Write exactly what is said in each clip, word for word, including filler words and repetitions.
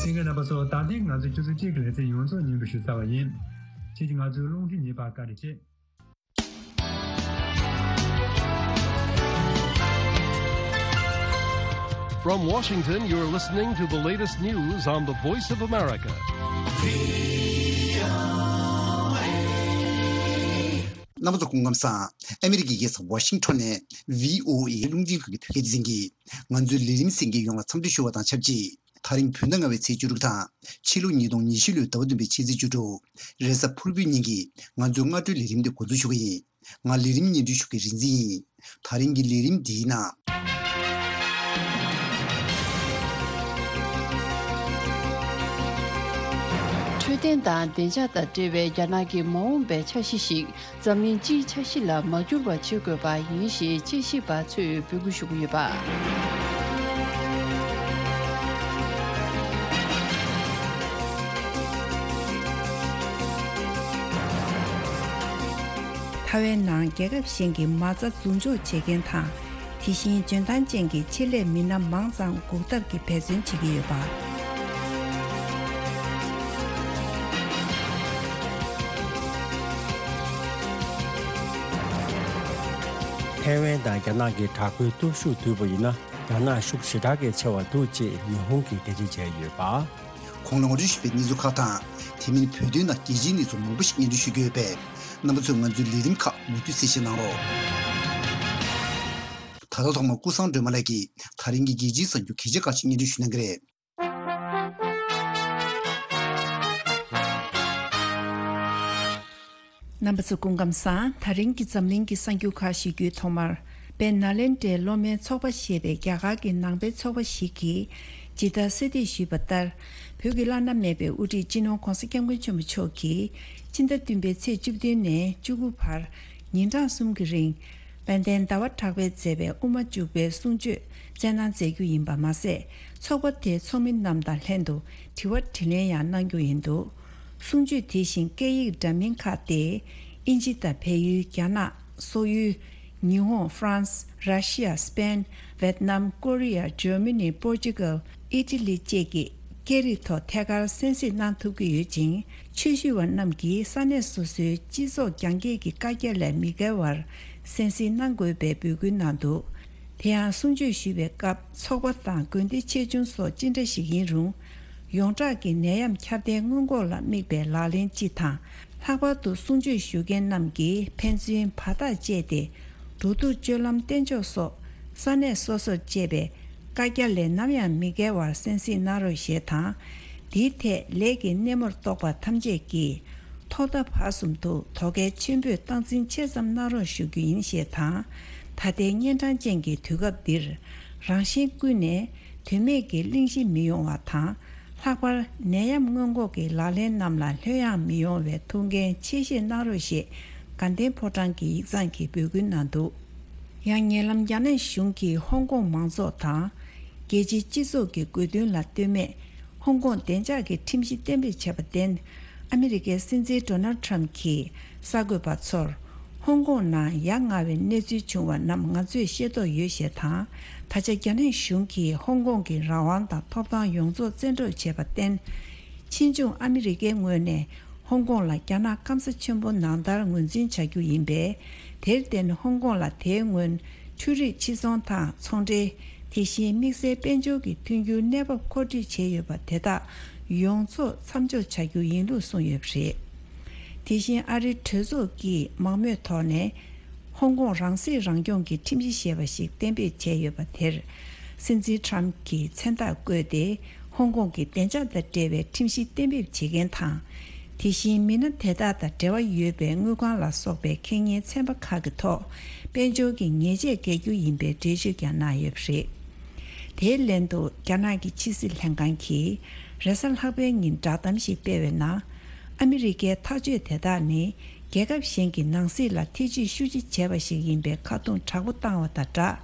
གསན་མཁན་རྣམ་པ་ཚོ། ད་ཐེངས་ང་ཚོས་ཆུ་ཚོད་གཅིག་གི་ལེ་ཚན་ཡོངས་རྫོགས་སྙན་སྒྲོན་ཞུ་ཚར་བ་ཡིན། ཁྱེད་ཀྱིས་ང་ཚོའི་རླུང་འཕྲིན་ཉན་པར་བཀའ་དྲིན་ཆེ། From Washington, you're listening to the latest news on the Voice of America. རྣམ་པ་ཚོ་སྐུ་ཁམས་བཟང་། ཨ་མི་རི་ཀའི་རྒྱལ་ས་ཝ་ཤིང་ཊོན་ནས་ཝི་ཨོ་ཨེ་རླུང་འཕྲིན་ཁང་གི་བོད་སྐད་སྡེ་ཚན་གྱིས་ང་ཚོའི་ལས་རིམ་གསན་མཁན་ཡོངས་ལ་འཚམས་འདྲི་ཞུ་བ་དང་ཆབས་ཅིག་ད་རིང་བོད་ཟླ་ལྔ་པའི་ཚེས་བཅུ་དྲུག་དང་། ཕྱི་ལོ་ཉིས་སྟོང་ཉི་ཤུ་ལོའི་ཟླ་བ་བདུན་པའི་ཕྱི་ཚེས་བཅུ་དྲུག་རེས་གཟའ་ཕུར་བུའི་ཉིན་གྱི་ང་ཚོའི་སྔ་དྲོའི་ལས་རིམ་འདི་འགོ་འཛུགས་ཞུ་གི་ཡིན། ང་ལས་རིམ་སྙན་སྒྲོན་ཞུ་མཁན་རིག་འཛིན་ཡིན། ད་རིང་གི་ལས་རིམ་འདིའི་ནང་། འཕྲོད་བསྟེན་དང་བདེ་འཇགས་དང་འབྲེལ་བའི་རྒྱ་ནག་གི་མ་འོངས་པའི་འཆར་གཞི་ཞིག་འཛམ་གླིང་སྤྱིའི་འཆར་གཞི་ལ་མ་འགྱུར་བ་བྱེད་དགོས་པ་ཡིན་ཞེས་དཔྱད་ཞིབ་པ་ཚོས་འབོད་སྐུལ་ཞུ་གི་ཡོད་པ། ཐའེ་ཝན་ནང་རྒྱལ་ཁབ་གཞན་གྱི་མ་རྩ་འཛུགས་འཇོག་བྱེད་མཁན་དང་། དེ་བཞིན་འཇོན་ཐང་ཅན་གྱི་ཆེད་ལས་མི་སྣ་མང་ཙམ་འགུག་ཐབས་ཀྱི་འབད་བརྩོན་བྱེད་ཀྱི་ཡོད་པ། ཐའེ་ཝན་དང་རྒྱ་ནག་གི་དྲག་པོའི་སྟོབས་ཤུགས་བསྡུར་བ་ཡིན་ན། རྒྱ་ནག་ཤུགས་ཞེ་དྲག་གིས་ཆེ་བ་འདུག་ཅེས་ཉི་ཧོང་གིས་འགྲེལ་བརྗོད་བྱས་ཡོད་པ། གོང་ལ་ངོ་སྤྲོད་ཞུས་པའི་གནས་ཚུལ་ཁག་དང་། དེ་མིན་བོད་དོན་དང་རྒྱལ་སྤྱིའི་གནས་ཚུལ་མང་པོ་ཞིག་སྙན་སྒྲོན་ཞུ་རྒྱུ་ཡོད་པས། རྣམ་པ་ཚོས་ང་ཚོའི་ལས་རིམ་ཁག་མུ་མཐུད་གསན་བཞེས་གནང་རོགས། ད་ལྟ་ཐོག་མར་ཀུན་བཟང་སྒྲོལ་མ་ལགས་ཀྱིས་ད་རིང་གི་རྒྱལ་སྤྱིའི་གསར་འགྱུར་གལ་ཆེ་ཁག་ཅིག་སྙན་སྒྲོན་ཞུ་གནང་གི་རེད། རྣམ་པ་ཚོ་སྐུ་ཁམས་བཟང་། ད་རིང་གི་འཛམ་གླིང་གི་གསར་འགྱུར་ཁག་ཞུ་རྒྱུའི་ཐོག་མར། དཔལ་ནཱ་ལེནྡྲའི་སློབ་མའི་ཚོགས་པ་ཞེས་པའི་རྒྱ་གར་གྱི་ནང་པའི་ཚོགས་པ་ཞིག་གིས་ཇི་ལྟར་གསལ་འདེབས་ཞུས་པ་ལྟར། བོད་ཀྱི་བླ་ན་མེད་པའི་དབུ་ཁྲིད་སྤྱི་ནོར་༧གོང་ས་༧སྐྱབས་མགོན་ཆེན་པོ་མཆོག་གིས་སྤྱི་ཟླ་བདུན་པའི་ཚེས་བཅུ་བདུན་ནས་བཅུ་དགུ་བར་ཉིན་གྲངས་གསུམ་གྱི་རིང་། དཔལ་ལྡན་ཟླ་བ་གྲགས་པས་མཛད་པའི་དབུ་མ་འཇུག་པའི་གསུང་ཆོས་སྩལ་གནང་མཛད་རྒྱུ་ཡིན་པ་མ་ཟད། ཚོགས་པ་དེའི་ཚོགས་མི་རྣམས་དང་ལྷན་དུ་དྲི་བ་དྲིས་ལན་ཡང་གནང་རྒྱུ་ཡིན་འདུག་གསུང་ཆོས་དེ་བཞིན་སྐད་ཡིག་འདྲ་མིན་ཁག་སྟེ། དབྱིན་ཇི་དང་བལ་ཡུལ། རྒྱ་ནག་སོག་ཡུལ། ཉི་ཧོང་། ཧྥ་རན་སི། ར་ཤི་ཡ། སི་པེན། ཝེད་ནམ། ཀོ་རི་ཡ། འཇར་མ་ནི། པོར་ཅུ་གལ། ཨི་ཊ་ལི་བཅས་ཀྱི་སྐད་རིགས་ཐོག་ཐད་ཀར་གསན་གཟིགས་གནང་ཐུབ་ཀྱི་ཡོད་ཅིང་། ཆོས་ཞུ་བ་རྣམས་ཀྱིས་ས་གནས་སོ་སོའི་སྤྱི་ཚོགས་རྒྱང་བསྐྱེད་ཀྱི་བཀའ་རྒྱ་ལས་མི་བརྒལ་བར་གསན་གཟིགས་གནང་དགོས་པའི་འབོད་སྐུལ་གནང་འདུག་དེ་ཡང་གསུང་ཆོས་ཞུ་བའི་སྐབས་ཚོགས་པ་དང་དགོན་སྡེ་ཆེ་ཆུང་སོགས་ཅི་འདྲ་ཞིག་ཡིན་རུང་། ཡོངས་གྲགས་ཀྱི་ནད་ཡམས་ཁྱབ་གདལ་སྔོན་འགོག་ལ་དམིགས་པའི་ལག་ལེན་སྤྱི་དང་། ལྷག་པར་དུ་གསུང་ཆོས་ཞུ་མཁན་རྣམས་ཀྱིས་ཕན་ཚུན་བར་ཐག་བཅད་དེ། འགྲོ་འདུག་སྤྱོད་ལམ་བསྟེན་ཕྱོགས་སོགས་ས་གནས་སོ་སོར་བཅས་པའི་བཀའ་རྒྱ་ལས་ནམ་ཡང་མི་བརྒལ་བར་གསན་གཟིགས་གནང་རོགས་ཞེས་དང་། འདིའི་ཐད་ལས་ཀྱི་སྣེ་མོར་གཏོགས་པ་ཐམས་ཅད་ཀྱིས་ཐོག་མཐའ་བར་གསུམ་དུ་དོ་གལ་ཆེན་པོས་སྟངས་འཛིན་ཆེ་ཙམ་གནང་རོགས་ཞུ་རྒྱུ་ཡིན་ཞེས་དང་། ད་ལྟའི་གཉན་འཕྲང་ཅན་གྱི་དུས་སྐབས་འདིར་རང་གཞན་ཀུན་ནས་དོན་མེད་ཀྱི་གླེང་གཞི་མི་ཡོང་བ་དང་། ལྷག་པར་ནད་ཡམས་སྔོན་འགོག་གི་ལག་ལེན་རྣམས་ལ་ལྷོད་ཡངས་མི་ཡོང་བའི་ཐུགས་འགན་ཆེ་བཞེས་གནང་རོགས་ཞེས་དགའ་ལྡན་ཕོ་བྲང་གི་ཡིག་ཚང་གིས་འབོད་སྐུལ་གནང་འདུག་ཡང་ཉེ་ལམ་རྒྱ་ནག་གཞུང་གིས་ཧོང་ཀོང་མང་ཚོགས་དང་། རྒྱལ་སྤྱིའི་སྤྱི་ཚོགས་ཀྱི་དགོས་འདུན་ལ་ལྟོས་མེད། ཧོང་ཀོང་བདེ་འཇགས་ཀྱི་ཁྲིམས་གཞི་གཏན་འབེབས་བྱས་པར་བརྟེན། ཨ་མི་རི་ཀའི་སྲིད་འཛིན་ཌོ་ནལ་ཊམ་གྱིས་གསར་འགོད་པ་ཚོར། ཧོང་ཀོང་ནང་ཡ་ང་བའི་གནས་ཚུལ་བྱུང་བ་རྣམས་ང་ཚོས་ཤེས་རྟོགས་ཡོད་ཞེས་དང་། ད་ཆ་རྒྱ་ནག་གཞུང་གིས་ཧོང་ཀོང་གི་རང་དབང་དང་ཐོབ་ཐང་ཡོངས་རྫོགས་བཙན་འཕྲོག་བྱས་པར་བརྟེན། ཕྱིས་འབྱུང་ཨ་མི་རི་ཀའི་ངོས་ནས་ཧོང་ཀོང་ལ་རྒྱ་ནག་སྐམ་ས་ཆེན་པོ་ནང་ལྟར་ངོས་འཛིན་བྱ་རྒྱུ་ཡིན་པས། དེར་བརྟེན་ཧོང་ཀོང་ལ་དེའི་སྔོན་འཕྲུལ་རིག་ཕྱིར་ཚོང་དང་ཚོང་འབྲེལ། དེ་བཞིན་དམིགས་བསལ་དཔལ་འབྱོར་གྱི་མཐུན་འགྱུར་གནས་བབ་མཁོ་སྤྲོད་བྱས་ཡོད་པ་དེ་དག་ཡོངས་རྫོགས་མཚམས་འཇོག་བྱ་རྒྱུ་ཡིན་ལུགས་གསུངས་ཡོད་པ་རེད། དེ་བཞིན་ཨ་རིའི་གྲོས་ཚོགས་ཀྱིས་མང་མོས་ཐོག་ནས། ཧོང་ཀོང་རང་སྲིད་རང་སྐྱོང་གི་ཁྲིམས་གཞི་ཞེས་པ་ཞིག་གཏན་འབེབས་བྱས་ཡོད་པ་དེར། སྲིད་འཛིན་ཊམ་གྱིས་མཚན་རྟགས་བཀོད་དེ། ཧོང་ཀོང་གི་བདེ་འཇགས་དང་འབྲེལ་བའི་ཁྲིམས་གཞི་གཏན་འབེབས་བྱེད་མཁན་དང་། དེ་བཞིན་མི་སྣ་དེ་དག་དང་འབྲེལ་བ་ཡོད་པའི་དངུལ་ཁང་ལ་སོགས་པའི་ཁེ་ཉེན་ཚན་པ་ཁག་གི་ཐོག་དཔལ་འབྱོར་གྱི་ཉེས་ཆད་འགེལ་རྒྱུ་ཡིན་པའི་འགྲེལ་བརྗོད་ཀྱང་གནང་ཡོད་པ་རེད། དེའི་ལན་དུ་རྒྱ་ནག་གི་ཕྱི་སྲིད་ལྷན་ཁང་གིས་རེས་གཟའ་ལྷག་པའི་ཉིན་བསྒྲགས་གཏམ་ཞིག་སྤེལ་བའི་ནང་། ཨ་མི་རི་ཀའི་ཐག་གཅོད་དེ་དག་ནི། རྒྱལ་ཁབ་གཞན་གྱི་ནང་སྲིད་ལ་ཐེ་བྱུས་ཤུགས་ཆེ་བྱས་པ་ཞིག་ཡིན་པའི་ཁ་རྡུང་དྲག་པོ་བཏང་བ་དང་སྦྲགས།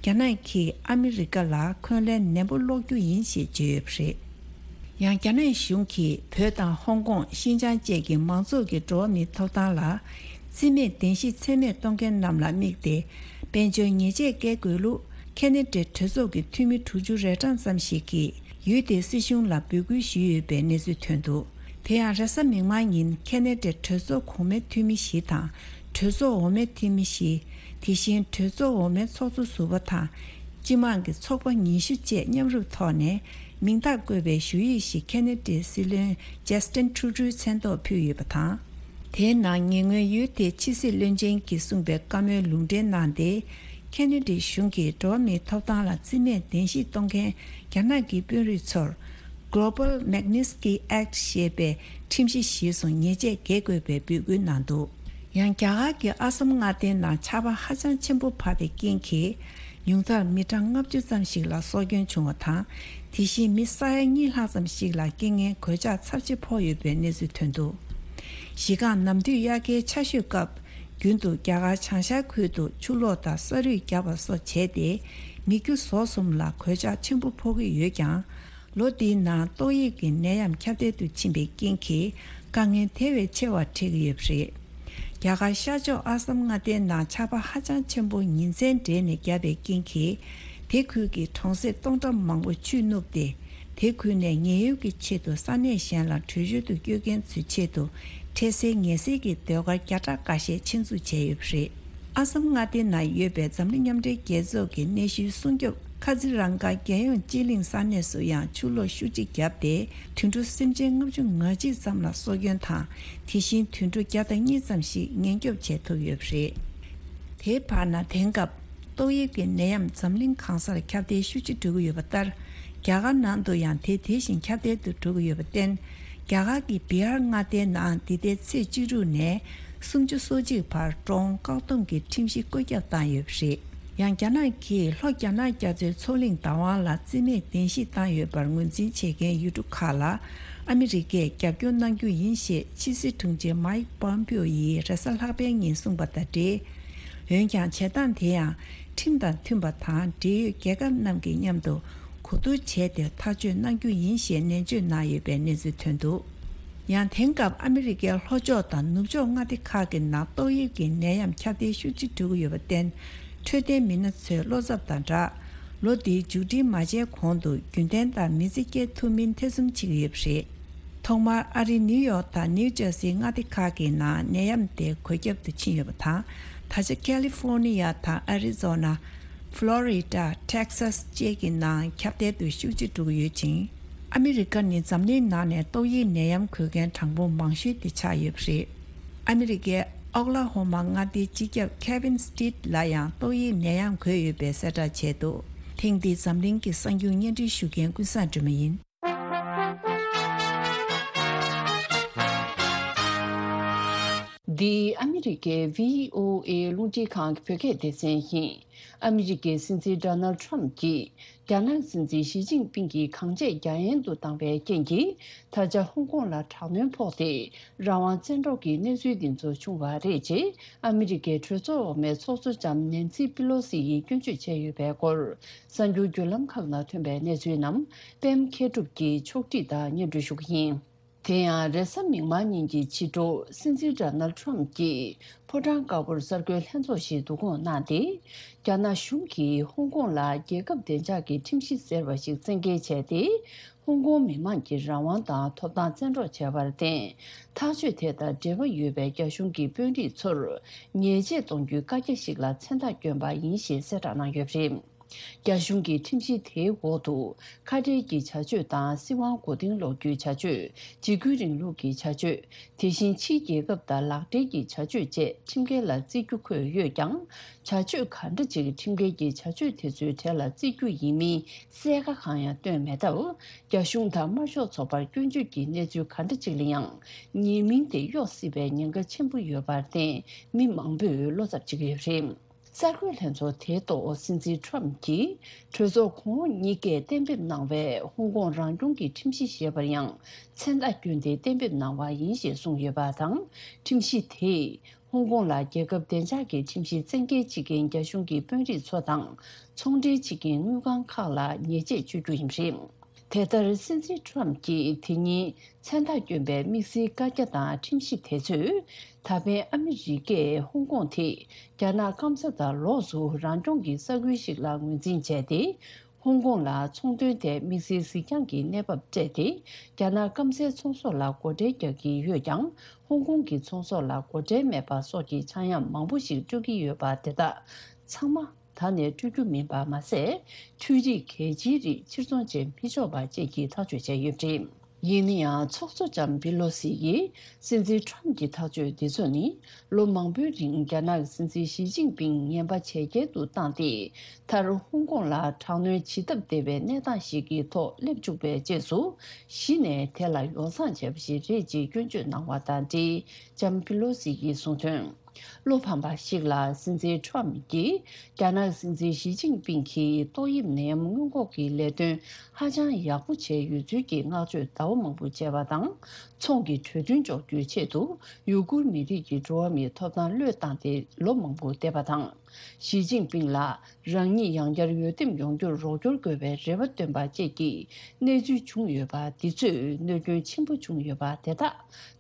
རྒྱ་ནག་གིས་ཨ་མི་རི་ཀ་ལ་འཁོན་ལན་ནན་པོ་སློག་རྒྱུ་ཡིན་ཞེས་བརྗོད་ཡོད་པ་རེད། ཡང་རྒྱ་ནག་གཞུང་གིས་བོད་དང་ཧོང་ཀོང་། ཤིན་ཅང་བཅས་ཀྱི་མང་ཚོགས་ཀྱི་འགྲོ་བ་མིའི་ཐོབ་ཐང་ལ་རྩིས་མེད་བདེན་བཞི་ཚད་མེད་གཏོང་མཁན་རྣམས་ལ་དམིགས་ཏེ། དཔལ་འབྱོར་ཉེས་ཆད་བཀལ་དགོས་ལུགས་ཁེ་ན་ཌའི་གྲོས་ཚོགས་ཀྱི་འཐུས་མི་དྲུག་ཅུ་རེ་གྲངས་ཙམ་ཞིག་གིས་ ཡུལ་དེའི་སྲིད་གཞུང་ལ་འབོད་སྐུལ་ཞུས་ཡོད་པའི་གནས་ཚུལ་ཐོན་འདུག་དེ་ཡང་རེས་གཟའ་མིག་དམར་ཉིན་ཁེ་ན་ཌའི་གྲོས་ཚོགས་གོང་མའི་འཐུས་མི་བཞི་དང་གྲོས་ཚོགས་འོག་མའི་འཐུས་མི་བཞི། དེ་བཞིན་གྲོས་ཚོགས་འོག་མའི་ཚོགས་གཙོ་ཟུར་པ་དང་། སྤྱི་དམངས་ཀྱི་ཚོགས་པ་ཉི་ཤུ་བཅས་མཉམ་རུབ་ཐོག་ནས་མིང་རྟགས་བཀོད་པའི་ཞུ་ཡིག་ཞིག་ཁེ་ན་ཌའི་སྲིད་བློན་ཇ་སི་ཊིན་ཁྲུ་ཌོའི་མཚན་ཐོག་ཕུལ་ཡོད་པ་དང་། དེའི་ནང་ཉེ་སྔོན་ཡུལ་དེའི་ཕྱི་སྲིད་བློན་ཆེན་གྱིས་གསུངས་པའི་བཀའ་མོལ་ལུང་འདྲེན་གནང་སྟེ། ཁེ་ན་ཌའི་གཞུང་གིས་འགྲོ་བ་མིའི་ཐོབ་ཐང་ལ་རྩིས་མེད་བདེན་བཞིས་གཏོང་མཁན་རྒྱ་ནག་གི་དཔོན་རིགས་ཚོར། Global Magnitsky Act ཞེས་པའི་ཁྲིམས་གཞི་གཞིར་བཟུང་ཉེས་ཆད་འགེལ་དགོས་པའི་འབོད་སྐུལ་གནང་འདུག་ཡང་རྒྱ་གར་གྱི་ཨ་སམ་མངའ་སྡེའི་ནང་ཆར་པ་ཧ་ཅང་ཆེན་པོ་བབས་པའི་རྐྱེན་གྱིས། ཉུང་མཐར་མི་གྲངས་ལྔ་བཅུ་ཙམ་ཞིག་ལ་སྲོག་སྐྱོན་བྱུང་བ་དང་། དེ་བཞིན་མི་ས་ཡ་གཉིས་ལྷག་ཙམ་ཞིག་ལ་རྐྱེན་ངན་གོད་ཆག་ཚབས་ཆེ་ཕོག་ཡོད་པའི་གནས་ཚུལ་ཐོན་འདུག་གཞི་རྐང་ནམ་དུས་དབྱར་ཁའི་ཆར་ཞོད་སྐབས། རྒྱུན་དུ་རྒྱ་གར་བྱང་ཤར་ཁུལ་དུ་ཆུ་ལོག་དང་ས་རུད་བརྒྱབ་པ་སོགས་བྱས་ཏེ། མི་རྒྱུ་ཟོག་གསུམ་ལ་གོད་ཆག་ཆེན་པོ་ཕོག་གི་ཡོད་ཀྱང་། ལོ་འདིའི་ནང་ཏོག་དབྱིབས་ཀྱི་ནད་ཡམས་ཁྱབ་གདལ་དུ་ཕྱིན་པའི་རྐྱེན་གྱིས། དཀའ་ངལ་དེ་བས་ཆེ་བ་འཕྲད་ཀྱི་ཡོད་པ་རེད། རྒྱ་གར་ཤར་ཕྱོགས་ཨ་སམ་མངའ་སྡེའི་ནང་ཆར་པ་ཧ་ཅང་ཆེན་པོ་ཉིན་མཚན་སྦྲེལ་ནས་བརྒྱབ་པའི་རྐྱེན་གྱིས། དེ་ཁུལ་གྱི་གྲོང་གསེབ་སྟོང་ཕྲག་མང་པོ་ཆུས་བསྣུབས་ཏེ། དེ་ཁུལ་ནས་ཉེན་གཡོལ་གྱི་ཆེད་དུ་ས་གནས་གཞན་ལ་བྲོས་བྱོལ་དུ་བསྐྱོད་མཁན་ཚོའི་ཆེད་དུ། འཕྲལ་སེལ་ངལ་སེལ་གྱི་ཟློས་གར་བརྒྱ་ཕྲག་འགའ་ཤས་ཆེད་འཛུགས་བྱས་ཡོད་པ་རེད། ཨ་སམ་མངའ་སྡེའི་ནང་ཡོད་པའི་འཛམ་གླིང་མཉམ་འབྲེལ་རྒྱལ་ཚོགས་ཀྱི་གནས་ཤུལ་སྲུང་སྐྱོབ་ཁ་ཛི་རང་ག་རྒྱལ་ཡོངས་སྤྱི་གླིང་ས་གནས་སུ་ཡང་ཆུ་ལོག་ཤུགས་ཆེ་བརྒྱབ་སྟེ། དུད་འགྲོ་སེམས་ཅན་ལྔ་བཅུ་ང་གཅིག་ཙམ་ལ་སྲོག་སྐྱོན་དང་། དེ་བཞིན་དུད་འགྲོ་བརྒྱ་དང་གཉིས་ཙམ་ཞིག་ཉེན་སྐྱོབ་བྱས་ཐུབ་ཡོད་པ་རེད། དེའི་བར་ན་དེང་སྐབས། ཏོག་དབྱིབས་ཀྱི་ནད་ཡམས་འཛམ་གླིང་གང་སར་ཁྱབ་གདལ་ཤུགས་ཆེ་འགྲོ་གི་ཡོད་པ་ལྟར། རྒྱ་གར་ནང་དུ་ཡང་དེ་དེ་བཞིན་ཁྱབ་གདལ་དུ་འགྲོ་གི་ཡོད་པར་བརྟེན། རྒྱ་གར་གྱི་བི་ཧར་མངའ་སྡེའི་ནང་འདི་ཟླའི་ཚེས་བཅུ་དྲུག་ནས་སུམ་ཅུ་སོ་གཅིག་བར་འགྲོ་འོང་བཀག་སྡོམ་གྱི་ཁྲིམས་གཞི་བཀོད་ཁྱབ་བཏང་ཡོད་པ་རེད། ཡང་རྒྱ་ནག་གིས་ལྷོ་རྒྱ་ནག་རྒྱ་མཚོའི་མཚོ་གླིང་བདག་དབང་ལ་རྩིས་མེད་གདན་ཞུ་བཏང་ཡོད་པར་ངོས་འཛིན་བྱེད་མཁན་ཡུལ་གྲུ་ཁག་ལ་ཨ་མི་རི་ཀས་རྒྱབ་སྐྱོར་གནང་རྒྱུ་ཡིན་ཞེས་ཕྱི་སྲིད་དྲུང་ཆེ་མཱིག་པོམ་པིའོ་ཡིས་རེས་གཟའ་ལྷག་པའི་ཉིན་གསུངས་པ་དང་འབྲེལ། འོན་ཀྱང་བྱེད་སྟངས་དེ་ཡང་ཁྲིམས་དང་མཐུན་པ་དང་འབྲེལ་ཡོད་རྒྱལ་ཁབ་རྣམས་ཀྱིས་མཉམ་དུ་གོ་བསྡུར་བྱས་ཏེ་ཐག་གཅོད་གནང་རྒྱུ་ཡིན་ཞེས་ནན་བརྗོད་གནང་ཡོད་པའི་གནས་ཚུལ་ཐོན་འདུག་ཡང་དེང་སྐབས་ཨ་མི་རི་ཀའི་ལྷོ་ཕྱོགས་དང་ནུབ་ཕྱོགས་མངའ་སྡེ་ཁག་གི་ནང་ཏོག་དབྱིབས་ཀྱི་ནད་ཡམས་ཁྱབ་གདལ་ཤུགས་ཆེ་འགྲོ་གི་ཡོད་པར་བརྟེན། འཕྲོད་བསྟེན་མི་སྣ་ཚོས་བློ་འཚབ་དང་སྦྲགས། ལོ་འདིའི་མཇུག་སྒྲིལ་མ་བྱས་གོང་དུ་རྒྱུན་ལྡན་དང་མི་ཚེ་སྐྱེལ་ཐུབ་མིན་ཐེ་ཚོམ་བྱེད་ཀྱི་ཡོད་པ་རེད། ཐོག་མར་ཨ་རིའི་ནིའུ་ཡོག་དང་ནིའུ་ཇར་སིའི་མངའ་སྡེ་ཁག་གི་ནང་ནད་ཡམས་དེ་འགོས་ཁྱབ་ཏུ་ཕྱིན་ཡོད་པ་དང་། ད་ཆ་ཁ་ལི་ཧྥོར་ནི་ཡ་དང་ཨ་རི་ཛོ་ན། ཕློ་རི་ཌ། ཊེག་སཱ་སི་བཅས་ཀྱི་ནང་ཁྱབ་གདལ་དུ་ཤུགས་ཆེ་འགྲོ་གི་ཡོད་ཅིང་། ཨ་མི་རི་ཀ་ནི་འཛམ་གླིང་ནང་ནས་ཏོག་དབྱིབས་ནད་ཡམས་འགོས་མཁན་གྲངས་འབོར་མང་ཤོས་དེ་ཆགས་ཡོད་པ་རེད། ཨ་མི་རི་ཀའི་ཨོག་ལ་ཧོ་མ་མངའ་སྡེའི་སྤྱི་ཁྱབ་ཁེ་ཝིན་སི་ཏིད་ལ་ཡང་ཏོག་དབྱིབས་ནད་ཡམས་འགོས་ཡོད་པའི་གསལ་བསྒྲགས་བྱས་འདུག་ཐེངས་འདིའི་འཛམ་གླིང་གི་གསར་འགྱུར་སྙན་སྒྲོན་ཞུ་མཁན་ཀུན་བཟང་སྒྲོལ་མ་ཡིན། འདི་ཨ་མི་རི་ཀའི་བྷི་ཨོ་ཨེ་རླུང་འཕྲིན་ཁང་གི་བོད་སྐད་སྡེ་ཚན་ཡིན། ཨ་མི་རི་ཀའི་སྲིད་འཛིན་ཌོ་ནལ་ཁྲམ་གྱིས་རྒྱ་ནག་སྲིད་འཛིན་ཞི་ཅིན་ཕིང་གིས་གང་བྱས་རྒྱ་ཡན་དུ་བཏང་བའི་རྐྱེན་གྱིས། ད་ཆ་ཧོང་ཀོང་ལ་དྲག་གནོན་ཕོག་སྟེ། རང་དབང་བཙན་འཕྲོག་གི་གནས་ཚུལ་འདི་ཚོ་བྱུང་བ་རེད་ཅེས་ཨ་མི་རི་ཀའི་གྲོས་ཚོགས་འོག་མའི་ཚོགས་གཙོ་ལྕམ་ནེན་སི་པི་ལོ་སི་ཡིས་སྐྱོན་བརྗོད་བྱས་ཡོད་པའི་སྐོར། གསར་འགྱུར་བརྒྱུད་ལམ་ཁག་ནང་ཐོན་པའི་གནས་ཚུལ་རྣམས་པད་མ་མཁས་གྲུབ་ཀྱིས་ཕྱོགས་སྒྲིག་དང་སྙན་སྒྲོན་ཞུ་གི་ཡིན། དེ་ཡང་རེས་གཟའ་མིག་དམར་ཉིན་གྱི་ཕྱི་དྲོ་སྲིད་འཛིན་ཌོ་ནལ་ཁྲམ་གྱིས་ཕོ་བྲང་དཀར་པོར་གསར་འགོད་ལྷན་ཚོགས་ཤིག་བསྡུ་སྐོང་གནང་སྟེ། རྒྱ་ནག་གཞུང་གིས་ཧོང་ཀོང་ལ་རྒྱལ་ཁབ་བདེ་འཇགས་ཀྱི་ཁྲིམས་གཞི་ཟེར་བ་ཞིག་བཙན་འགེལ་བྱས་ཏེ། ཧོང་ཀོང་མི་མང་གི་རང་དབང་དང་ཐོབ་ཐང་བཙན་འཕྲོག་བྱས་པར་བརྟེན། ཐག་གཅོད་དེ་དང་འབྲེལ་བ་ཡོད་པའི་རྒྱ་གཞུང་གི་དཔོན་རིགས་ཚོར་ཉེས་ཆད་གཏོང་རྒྱུའི་བཀའ་རྒྱ་ཞིག་ལ་མཚན་རྟགས་བསྐྱོན་པ་ཡིན་ཞེས་གསལ་བསྒྲགས་གནང་ཡོད་པ་རེད། རྒྱ་གཞུང་གི་ཁྲིམས་གཞི་དེའི་འོག་ཏུ་ཁ་བྲལ་གྱི་བྱ་སྤྱོད་དང་། སྲིད་དབང་མགོ་རྟིང་སློག་རྒྱུའི་བྱ་སྤྱོད། འཇིགས་སྐུལ་རིང་ལུགས་ཀྱི་བྱ་སྤྱོད། དེ་བཞིན་ཕྱིའི་རྒྱལ་ཁབ་དང་ལག་འབྲེལ་གྱི་བྱ་སྤྱོད་བཅས་ཁྲིམས་འགལ་ལ་བརྩི་རྒྱུ་འཁོད་ཡོད་ཀྱང་། བྱ་སྤྱོད་ག་འདྲ་ཅིག་ཁྲིམས་འགལ་གྱི་བྱ་སྤྱོད་དེ་ཚོའི་གྲས་ལ་བརྩི་རྒྱུ་ཡིན་མིན་གསལ་ཁ་གང་ཡང་བཏོན་མེད་སྟབས། རྒྱ་གཞུང་དང་དམར་ཤོག་ཚོགས་པར་སྐྱོན་བརྗོད་ཀྱི་གནས་ཚུལ་ག་འདྲ་ཅིག་ལ་ཡང་ཉེས་མིང་དེ་གཡོག་སྲིད་པའི་ཉེན་ཁ་ཆེན་པོ་ཡོད་པར་བརྟེན། མི་མང་པོས་བློ་འཚབ་བྱེད་ཀྱི་ཡོད་པ་རེད། གསར་འགོད་ལྷན་ཚོགས་དེའི་ཐོག་སྲིད་འཛིན་ཁྲམ་གྱིས་གྲོས་ཚོགས་གོང་འོག་གཉིས་ཀས་གཏན་འབེབས་གནང་བའི་ཧོང་ཀོང་རང་སྐྱོང་གི་ཁྲིམས་གཞི་ཞེས་པར་ཡང་མཚན་རྟགས་བསྐྱོན་ཏེ་གཏན་འབེབས་གནང་བ་ཡིན་ཞེས་གསུངས་ཡོད་པ་དང་། ཁྲིམས་གཞི་དེས་ཧོང་ཀོང་ལ་རྒྱལ་ཁབ་བདེ་འཇགས་ཀྱི་ཁྲིམས་གཞི་བཙན་འགེལ་བྱེད་མཁན་རྒྱ་གཞུང་གི་དཔོན་རིགས་ཚོ་དང་ཚོང་འབྲེལ་བྱེད་མཁན་དངུལ་ཁང་ཁག་ལ་ཉེས་ཆད་གཅོད་རྒྱུ་ཡིན་པ་རེད། དེ་ལྟར་སྲིད་འཛིན་ཁྲམ་གྱིས་དེ་ཉིན་མཚན་རྟགས་བསྐྱོན་པའི་དམིགས་བསལ་བཀའ་རྒྱ་དང་ཁྲིམས་གཞི་དེ་ཚོས། ད་ཕན་ཨ་མི་རི་ཀས་ཧོང་ཀོང་དེ་རྒྱ་ནག་སྐམ་ས་དང་ལོགས་སུ་རང་སྐྱོང་གི་ས་ཁུལ་ཞིག་ལ་ངོས་འཛིན་བྱས་ཏེ། ཧོང་ཀོང་ལ་ཚོང་དོན་ཐད་དམིགས་བསལ་གཟིགས་རྒྱང་གི་གནས་བབ་སྤྲད་དེ། རྒྱ་ནག་སྐམ་སའི་ཚོང་ཟོག་ལ་སྒོ་ཁྲལ་རྒྱག་གི་ཡོད་ཀྱང་། ཧོང་ཀོང་གི་ཚོང་ཟོག་ལ་སྒོ་ཁྲལ་མེད་པ་སོགས་ཀྱི་ཆག་ཡང་མང་པོ་ཞིག་སྤྲོད་ཀྱི་ཡོད་པ་དེ་དག་ཚང་མ་ད་ནས་སྤྲོད་རྒྱུ་མིན་པ་མ་ཟད། འཕྲུལ་རིག་གལ་ཆེའི་རིགས་ཕྱིར་ཚོང་བྱེད་མི་ཆོག་པ་བཅས་ཀྱི་ཐག་གཅོད་བྱས་ཡོད་པ་རེད། ཡིན་ན་ཡང་། ཚོགས་གཙོ་ལྕམ་པི་ལོ་སི་ཡིས་སྲིད་འཛིན་ཁྲོམ་གྱི་ཐག་གཅོད་འདི་ཚོ་ནི། ལོ་མང་པོའི་རིང་རྒྱ་ནག་གི་སྲིད་འཛིན་ཞི་ཅིན་ཕིང་ངན་པ་ཇེ་རྒྱལ་དུ་བཏང་སྟེ། མཐར་ཧོང་ཀོང་ལ་དྲག་གནོན་ཇི་ལྟར་བདེ་བའི་གནས་སྟངས་ཤིག་གི་ཐོག་སླེབས་བཅུག་པའི་རྗེས་སུ། གཞི་ནས་དེ་ལ་ཡོ་བསྲང་བྱས་པ་ཞིག་རེད་ཅེས་སྐྱོན་བརྗོད་གནང་བ་དང་འབྲེལ། ལྕམ་པི་ལོ་སི་ཡིས་གསུངས་དོན། བློ་ཕམ་པ་ཞིག་ལ། སྲིད་འཛིན་ཁྲོམ་གྱིས་རྒྱ་ནག་སྲིད་འཛིན་ཞི་ཅིན་ཕིང་གིས་ཏོག་དབྱིབས་ནད་ཡམས་སྔོན་འགོག་གི་ལས་དོན་ཧ་ཅང་ཡག་པོ་བྱས་ཡོད་ཚུལ་གྱི་བསྔགས་བརྗོད་ཟླ་བ་མང་པོ་བྱས་པ་དང་། ཚོང་གི་གྲོས་མཐུན་འཇོག་རྒྱུའི་ཆེད་དུ་ཡུ་གུར་མི་རིགས་ཀྱི་འགྲོ་བ་མིའི་ཐོབ་ཐང་བློས་བཏང་སྟེ་ལོ་མང་པོ་འདས་པ་དང་། ཞི་ཅིན་ཕིང་ལ་རང་ཉིད་ཡང་བསྐྱར་འོས་འདེམས་ཡོང་རྒྱུར་རོགས་སྐྱོར་དགོས་པའི་རེ་བ་བཏོན་པ་བཅས་ཀྱི་གནས་ཚུལ་བྱུང་ཡོད་པ་འདི་ཚོས་གནོད་སྐྱོན་ཆེན་པོ་བྱུང་ཡོད་པ་དེ་དག་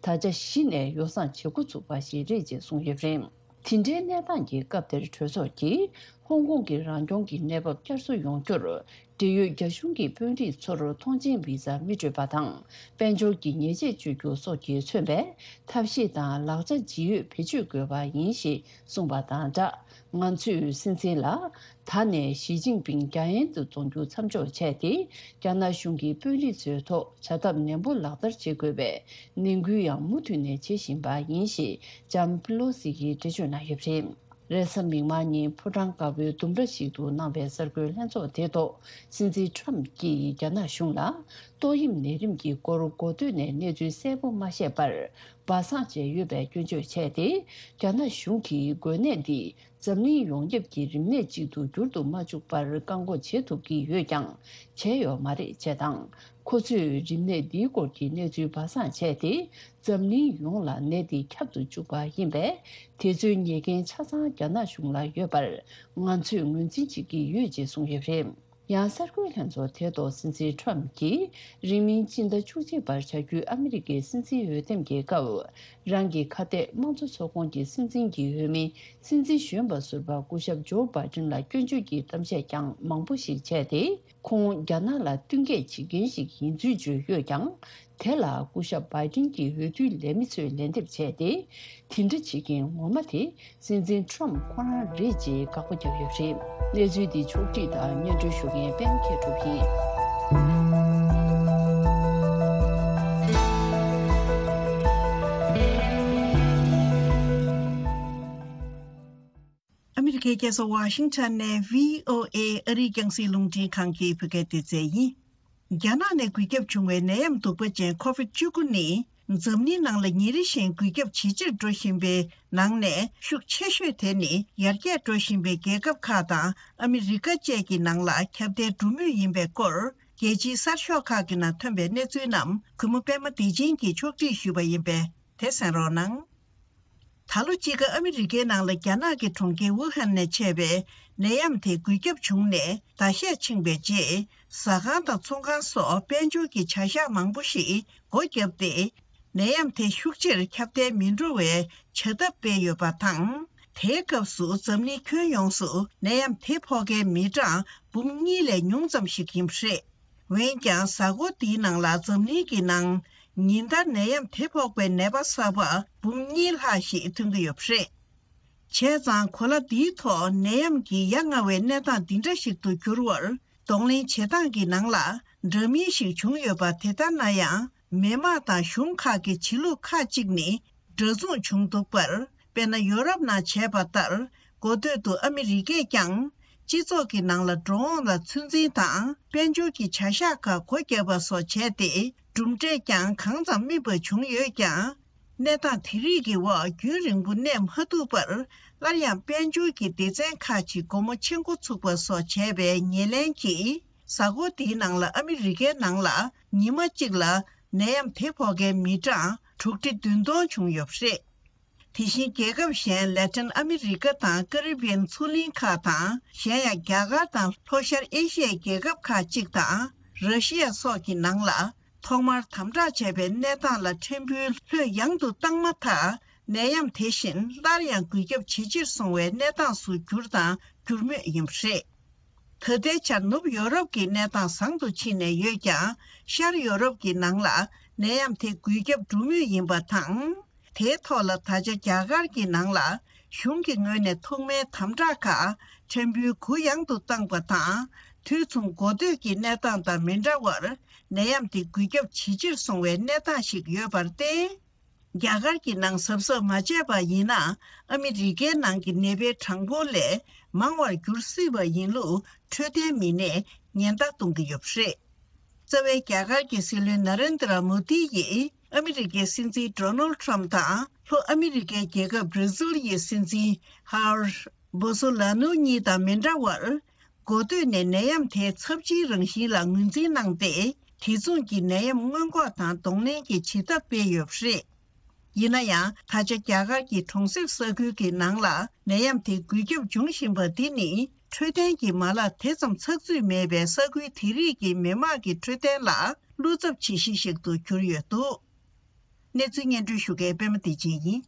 ད་ཆ་གཞི་ནས་ཡོ་བསྲང་བྱེད་འགོ་ཚུགས་པ་ཞིག་རེད་ཅེས་གསུངས་ཡོད་པ་རེད། དེ་འདྲའི་གནས་སྟངས་ཀྱི་སྐབས་དེར་གྲོས་ཚོགས་ཀྱིས་ཧོང་ཀོང་གི་རང་སྐྱོང་གི་གནས་བབ་བསྐྱར་གསོ་ཡོང་རྒྱུར། འབྲེལ་ཡོད་རྒྱ་གཞུང་གི་དཔོན་རིགས་ཚོར་ཐོངས་མཆན་བི་ཛ་མི་སྤྲོད་པ་དང་། དཔལ་འབྱོར་གྱི་ཉེས་ཆད་གཅོད་རྒྱུ་སོགས་ཀྱིས་མཚོན་པའི་ཐབས་ཤེས་དང་ལག་ཆ་ཇི་ཡོད་བེད་སྤྱོད་དགོས་པ་ཡིན་ཞེས་གསུངས་པ་དང་སྦྲགས། ང་ཚོས་སྲིད་འཛིན་ལ་ད་ནས་ཞི་ཅིན་ཕིང་རྒྱ་ཡན་དུ་གཏོང་རྒྱུ་མཚམས་འཇོག་བྱས་ཏེ། རྒྱ་ནག་གཞུང་གི་དཔོན་རིགས་ཚོའི་ཐོག་བྱ་ཐབས་ནན་པོ་ལག་བསྟར་བྱེད་དགོས་པའི་ནན་སྐུལ་ཡང་མུ་མཐུད་ནས་བྱེད་བཞིན་པ་ཡིན་ཞེས་ལྕམ་པི་ལོ་སི་ཡིས་འགྲེལ་བརྗོད་གནང་ཡོད་པ་རེད། རེས་གཟའ་མིག་དམར་ཉིན་ཕོ་བྲང་དཀར་པོའི་ལྡུམ་ར་ཞིག་ཏུ་གནང་བའི་གསར་འགོད་ལྷན་ཚོགས་དེའི་ཐོག་སྲིད་འཛིན་ཁྲོམ་གྱིས་རྒྱ་ནག་གཞུང་ལ་ཏོག་དབྱིབས་ནད་རིམས་ཀྱི་སྐོར་འགོ་སྟོད་ནས་གནས་ཚུལ་གསལ་པོ་མ་བཤད་པར་སྦ་གསང་བྱས་ཡོད་པའི་སྐྱོན་བརྗོད་བྱས་ཏེ། རྒྱ་ནག་གཞུང་གིས་འགོས་ནད་འདི་འཛམ་གླིང་ཡོངས་ཁྱབ་ཀྱི་རིམས་ནད་ཅིག་ཏུ་འགྱུར་དུ་མ་བཅུག་པར་བཀག་འགོག་བྱེད་ཐུབ་ཀྱི་ཡོད་ཀྱང་བྱས་ཡོད་མ་རེད་ཅེས་དང་། ཁོ་ཚོས་རིམས་ནད་འདིའི་སྐོར་གྱི་གནས་ཚུལ་སྦ་གསང་བྱས་ཏེ། འཛམ་གླིང་ཡོངས་ལ་ནད་འདི་ཁྱབ་ཏུ་བཅུག་པ་ཡིན་པས། དེ་ཚོའི་ཉེས་འགན་ཆ་ཚང་རྒྱ་ནག་གཞུང་ལ་ཡོད་པར་ང་ཚོས་ངོས་འཛིན་བྱེད་ཀྱི་ཡོད་ཅེས་གསུངས་ཡོད་པ་རེད། ཡང་གསར་འགོད་ལྷན་ཚོགས་དེའི་ཐོག་སྲིད་འཛིན་ཁྲོམ་གྱིས་རིང་མིན་སྤྱི་ཟླ་བཅུ་གཅིག་པར་བྱ་རྒྱུའི་ཨ་མི་རི་ཀའི་སྲིད་འཛིན་འོས་འདེམས་ཀྱི་སྐབས། རང་གི་ཁ་གཏད་དམངས་གཙོ་ཚོགས་ཁོངས་ཀྱི་སྲིད་འཛིན་གྱི་འོས་མི་སྲིད་འཛིན་གཞོན་པ་ཟུར་པ་སྐུ་ཞབས་ཇོ་བྷའི་ཏིན་ལ་སྐྱོན་བརྗོད་ཀྱི་གཏམ་བཤད་ཀྱང་མང་པོ་ཞིག་བྱས་ཏེ། ཁོང་རྒྱ་ནག་ལ་བསྟུན་མཁས་བྱེད་མཁན་ཞིག་ཡིན་ཚུལ་བརྗོད་ཡོད་ཀྱང་། དེ་ལ་སྐུ་ཞབས་བྷའི་ཏིན་གྱི་འོས་བསྡུའི་ལས་མི་ཚོས་ལན་འདེབས་བྱས་ཏེ། དེ་འདྲ་བྱེད་མཁན་ངོ་མ་དེ་སྲིད་འཛིན་ཁྲོམ་ཁོ་རང་རེད་ཅེས་དགག་པ་བརྒྱབ་ཡོད་པ་རེད། གནས་ཚུལ་འདི་ཕྱོགས་བསྒྲིགས་དང་སྙན་སྒྲོན་ཞུ་མཁན་པད་མ་མཁས་གྲུབ་ཡིན། ཨ་མི་རི་ཀའི་རྒྱལ་ས་ཝ་ཤིང་ཊོན་ནས་བྷི་ཨོ་ཨེ་ཨ་རིའི་རྒྱང་སྲིང་རླུང་འཕྲིན་ཁང་གི་བོད་སྐད་སྡེ་ཚན་ཡིན། རྒྱ་ནག་ནས་འགོས་ཁྱབ་བྱུང་བའི་ནད་ཡམས་གདུག་པ་ཅན་ཁོ་བིད་བཅུ་དགུ་ནི། འཛམ་གླིང་ནང་ལ་ཉིན་རེ་བཞིན་འགོས་ཁྱབ་ཇེ་ཆེར་འགྲོ་བཞིན་པའི་ནང་ནས་ཤུགས་ཆེ་ཤོས་དེ་ནི་ཡར་རྒྱས་འགྲོ་བཞིན་པའི་རྒྱལ་ཁབ་ཁག་དང་ཨ་མི་རི་ཀ་བཅས་ཀྱི་ནང་ལ་ཁྱབ་གདལ་འགྲོ་མུས་ཡིན་པའི་སྐོར། རྒྱལ་སྤྱིའི་གསར་ཤོག་ཁག་གི་ནང་ཐོན་པའི་གནས་ཚུལ་རྣམས་གུས་མོ་པད་མ་བདེ་ཆེན་གྱིས་ཕྱོགས་སྒྲིག་ཞུས་པ་ཡིན་པས་དེ་གསན་རོགས་གནང་། ད་ལོ་དཔྱིད་ཀ་ཨ་མི་རི་ཀའི་ནང་ལ་རྒྱ་ནག་གི་གྲོང་ཁྱེར་ཝུ་ཧན་ནས་མཆེད་པའི་ནད་ཡམས་དེ་འགོས་ཁྱབ་བྱུང་ནས་ཟླ་ཤས་ཕྱིན་པའི་རྗེས། ཟ་ཁང་དང་ཚོང་ཁང་སོགས་དཔལ་འབྱོར་གྱི་བྱ་གཞག་མང་པོ་ཞིག་སྒོ་བརྒྱབ་སྟེ། ནད་ཡམས་དེ་ཤུགས་ཆེར་ཁྱབ་གདལ་མི་འགྲོ་བའི་བྱ་ཐབས་སྤེལ་ཡོད་པ་དང་། དེའི་སྐབས་སུ་འཛམ་གླིང་ཁྱོན་ཡོངས་སུ་ནད་ཡམས་དེ་ཕོག་མཁན་མི་གྲངས་འབུམ་གཉིས་ལས་ཉུང་ཙམ་ཞིག་ཡིན་པ་རེད། འོན་ཀྱང་། གཟའ་འཁོར་འདིའི་ནང་ལ་འཛམ་གླིང་གི་ནང་ཉིན་ལྟར་ནད་ཡམས་དེ་ཕོག་པའི་ནད་པ་གསར་པ་འབུམ་གཉིས་ལྷག་ཞིག་ཐོན་གྱི་ཡོད་པ་རེད། བྱས་ཙང་། གོ་ལ་འདིའི་ཐོག་ནད་ཡམས་ཀྱི་ཡ་ང་བའི་གནས་སྟངས་འདི་འདྲ་ཞིག་ཏུ་གྱུར་བར་གདོང་ལེན་བྱེད་སྟངས་ཀྱི་ནང་ལ་འདྲ་མིན་ཞིག་བྱུང་ཡོད་པ། དེ་ལྟར་ན་ཡང་། མི་དམངས་དང་གཞུང་ཁག་གི་བྱེད་ལུགས་ཁག་ཅིག་ནི་འདྲ་མཚུངས་བྱུང་འདུག་པར། དཔེར་ན། ཡོ་རོབ་ནང་བྱས་པ་ལྟར། འགོ་སྟོད་དུ་ཨ་མི་རི་ཀས་ཀྱང་། སྤྱི་ཚོགས་ཀྱི་ནང་ལ་འགྲོ་འོང་ལ་ཚོད་འཛིན་དང་། དཔལ་འབྱོར་གྱི་བྱ་གཞག་ཁག་སྒོ་བརྒྱབ་པ་སོགས་བྱས་ཏེ། གྲུབ་འབྲས་ཀྱང་གང་ཙམ་དམིགས་པ་བྱུང་ཡོད་ཀྱང་། གནས་སྟངས་དེ་རིགས་ཀྱི་འོག་རྒྱུན་རིང་པོ་གནས་མ་ཐུབ་པར། སླར་ཡང་དཔལ་འབྱོར་གྱི་སྡེ་ཚན་ཁག་ཅིག་སྒོ་མོ་ཕྱེ་འགོ་ཚུགས་པ་སོགས་བྱས་པའི་ཉེར་ལེན་གྱིས། གཟའ་འཁོར་འདིའི་ནང་ལ་ཨ་མི་རི་ཀའི་ནང་ལ་ཉི་མ་གཅིག་ལ་ནད་ཡམས་དེ་ཕོག་མཁན་མི་གྲངས་དྲུག་ཁྲི་བདུན་སྟོང་བྱུང་ཡོད་པ་རེད། དེ་བཞིན་རྒྱལ་ཁབ་གཞན། ལེ་ཊིན་ཨ་མི་རི་ཀ་དང་ཀ་རི་བི་ཡན་མཚོ་གླིང་ཁག་དང་། གཞན་ཡང་རྒྱ་གར་དང་ལྷོ་ཤར་ཨེ་ཤི་ཡའི་རྒྱལ་ཁབ་ཁག་ཅིག་དང་། ར་ཤི་ཡ་སོགས་ཀྱི་ནང་ལ་ཐོག་མར་དམ་དྲག་བྱས་པའི་གནས་སྟངས་ལ་ཕྲན་བུ་ལྷོད་ཡངས་དུ་བཏང་མ་ཐག། ནད་ཡམས་དེ་བཞིན་སླར་ཡང་འགོས་ཁྱབ་ཇེ་ཆེར་སོང་བའི་གནས་སྟངས་སུ་གྱུར་དང་འགྱུར་མུས་ཡིན་པ་རེད། ད་ལྟའི་ཆར་ནུབ་ཡོ་རོབ་ཀྱི་གནས་སྟངས་བཟང་དུ་ཕྱིན་ནས་ཡོད་ཀྱང་། ཤར་ཡོ་རོབ་ཀྱི་ནང་ལ་ནད་ཡམས་དེ་འགོས་ཁྱབ་འགྲོ་མུས་ཡིན་པ་དང་། དེའི་ཐོག་ལ་ད་ཆ་རྒྱ་གར་གྱི་ནང་ལ་གཞུང་གི་ངོས་ནས་ཐོག་མའི་དམ་དྲག་ཁག་ཕྲན་བུ་གུ་ཡངས་དུ་བཏང་པ་དང་། དུས་མཚུངས་འགོ་སྟོད་ཀྱི་གནས་སྟངས་དང་མི་འདྲ་བར། ནད་ཡམས་དེ་འགོས་ཁྱབ་ཇེ་ཆེར་སོང་བའི་གནས་སྟངས་ཤིག་ཡོད་པར་བརྟེན། རྒྱ་གར་གྱི་ནང་གཟབ་གཟབ་མ་བྱས་པ་ཡིན་ན། ཨ་མི་རི་ཀའི་ནང་གི་ནད་པའི་གྲངས་འབོར་ལས་མང་བར་འགྱུར་སྲིད་པ་ཡིན་ལུགས་འཕྲོད་བསྟེན་མི་སྣས་ཉེན་བརྡ་གཏོང་གི་ཡོད་པ་རེད། རྩ་བའི་རྒྱ་གར་གྱི་སྲིད་བློན་ན་རེན་དྲ་མོ་དི་ཡིས་ཨ་མི་རི་ཀའི་སྲིད་འཛིན་ཌོ་ནལ་ཊམ་དང་། ལྷོ་ཨ་མི་རི་ཀའི་རྒྱལ་ཁབ་བྷི་ར་ཛིལ་ཡི་སྲིད་འཛིན་ཧར་བོ་སོ་ལ་ནུ་གཉིས་དང་མི་འདྲ་བར། འགོ་སྟོད་ནས་ནད་ཡམས་དེ་ཚབས་ཆེའི་རང་བཞིན་ལ་ངོས་འཛིན་གནང་སྟེ། དེ་མཚུངས་ཀྱི་ནད་ཡམས་སྔོན་འགོག་དང་གདོང་ལེན་གྱི་བྱེད་ཐབས་སྤེལ་ཡོད་པ་རེད། ཡིན་ན་ཡང་། ད་ཆ་རྒྱ་གར་གྱི་གྲོང་གསེབ་ས་ཁུལ་གྱི་ནང་ལ་ནད་ཡམས་དེ་འགོས་ཁྱབ་འབྱུང་བཞིན་པ་འདི་ནི། འཕྲོད་བསྟེན་གྱི་མ་ལག་དེ་ཙམ་ཚགས་ཚུད་མེད་པའི་ས་ཁུལ་དེ་རིགས་ཀྱི་མི་དམངས་ཀྱི་འཕྲོད་བསྟེན་ལ་བློ་འཚབ་བྱེད་གཞི་ཞིག་ཏུ་གྱུར་ཡོད་འདུག། གནས་ཚུལ་སྙན་སྒྲོན་ཞུ་མཁན་པད་མ་བདེ་ཆེན་ཡིན།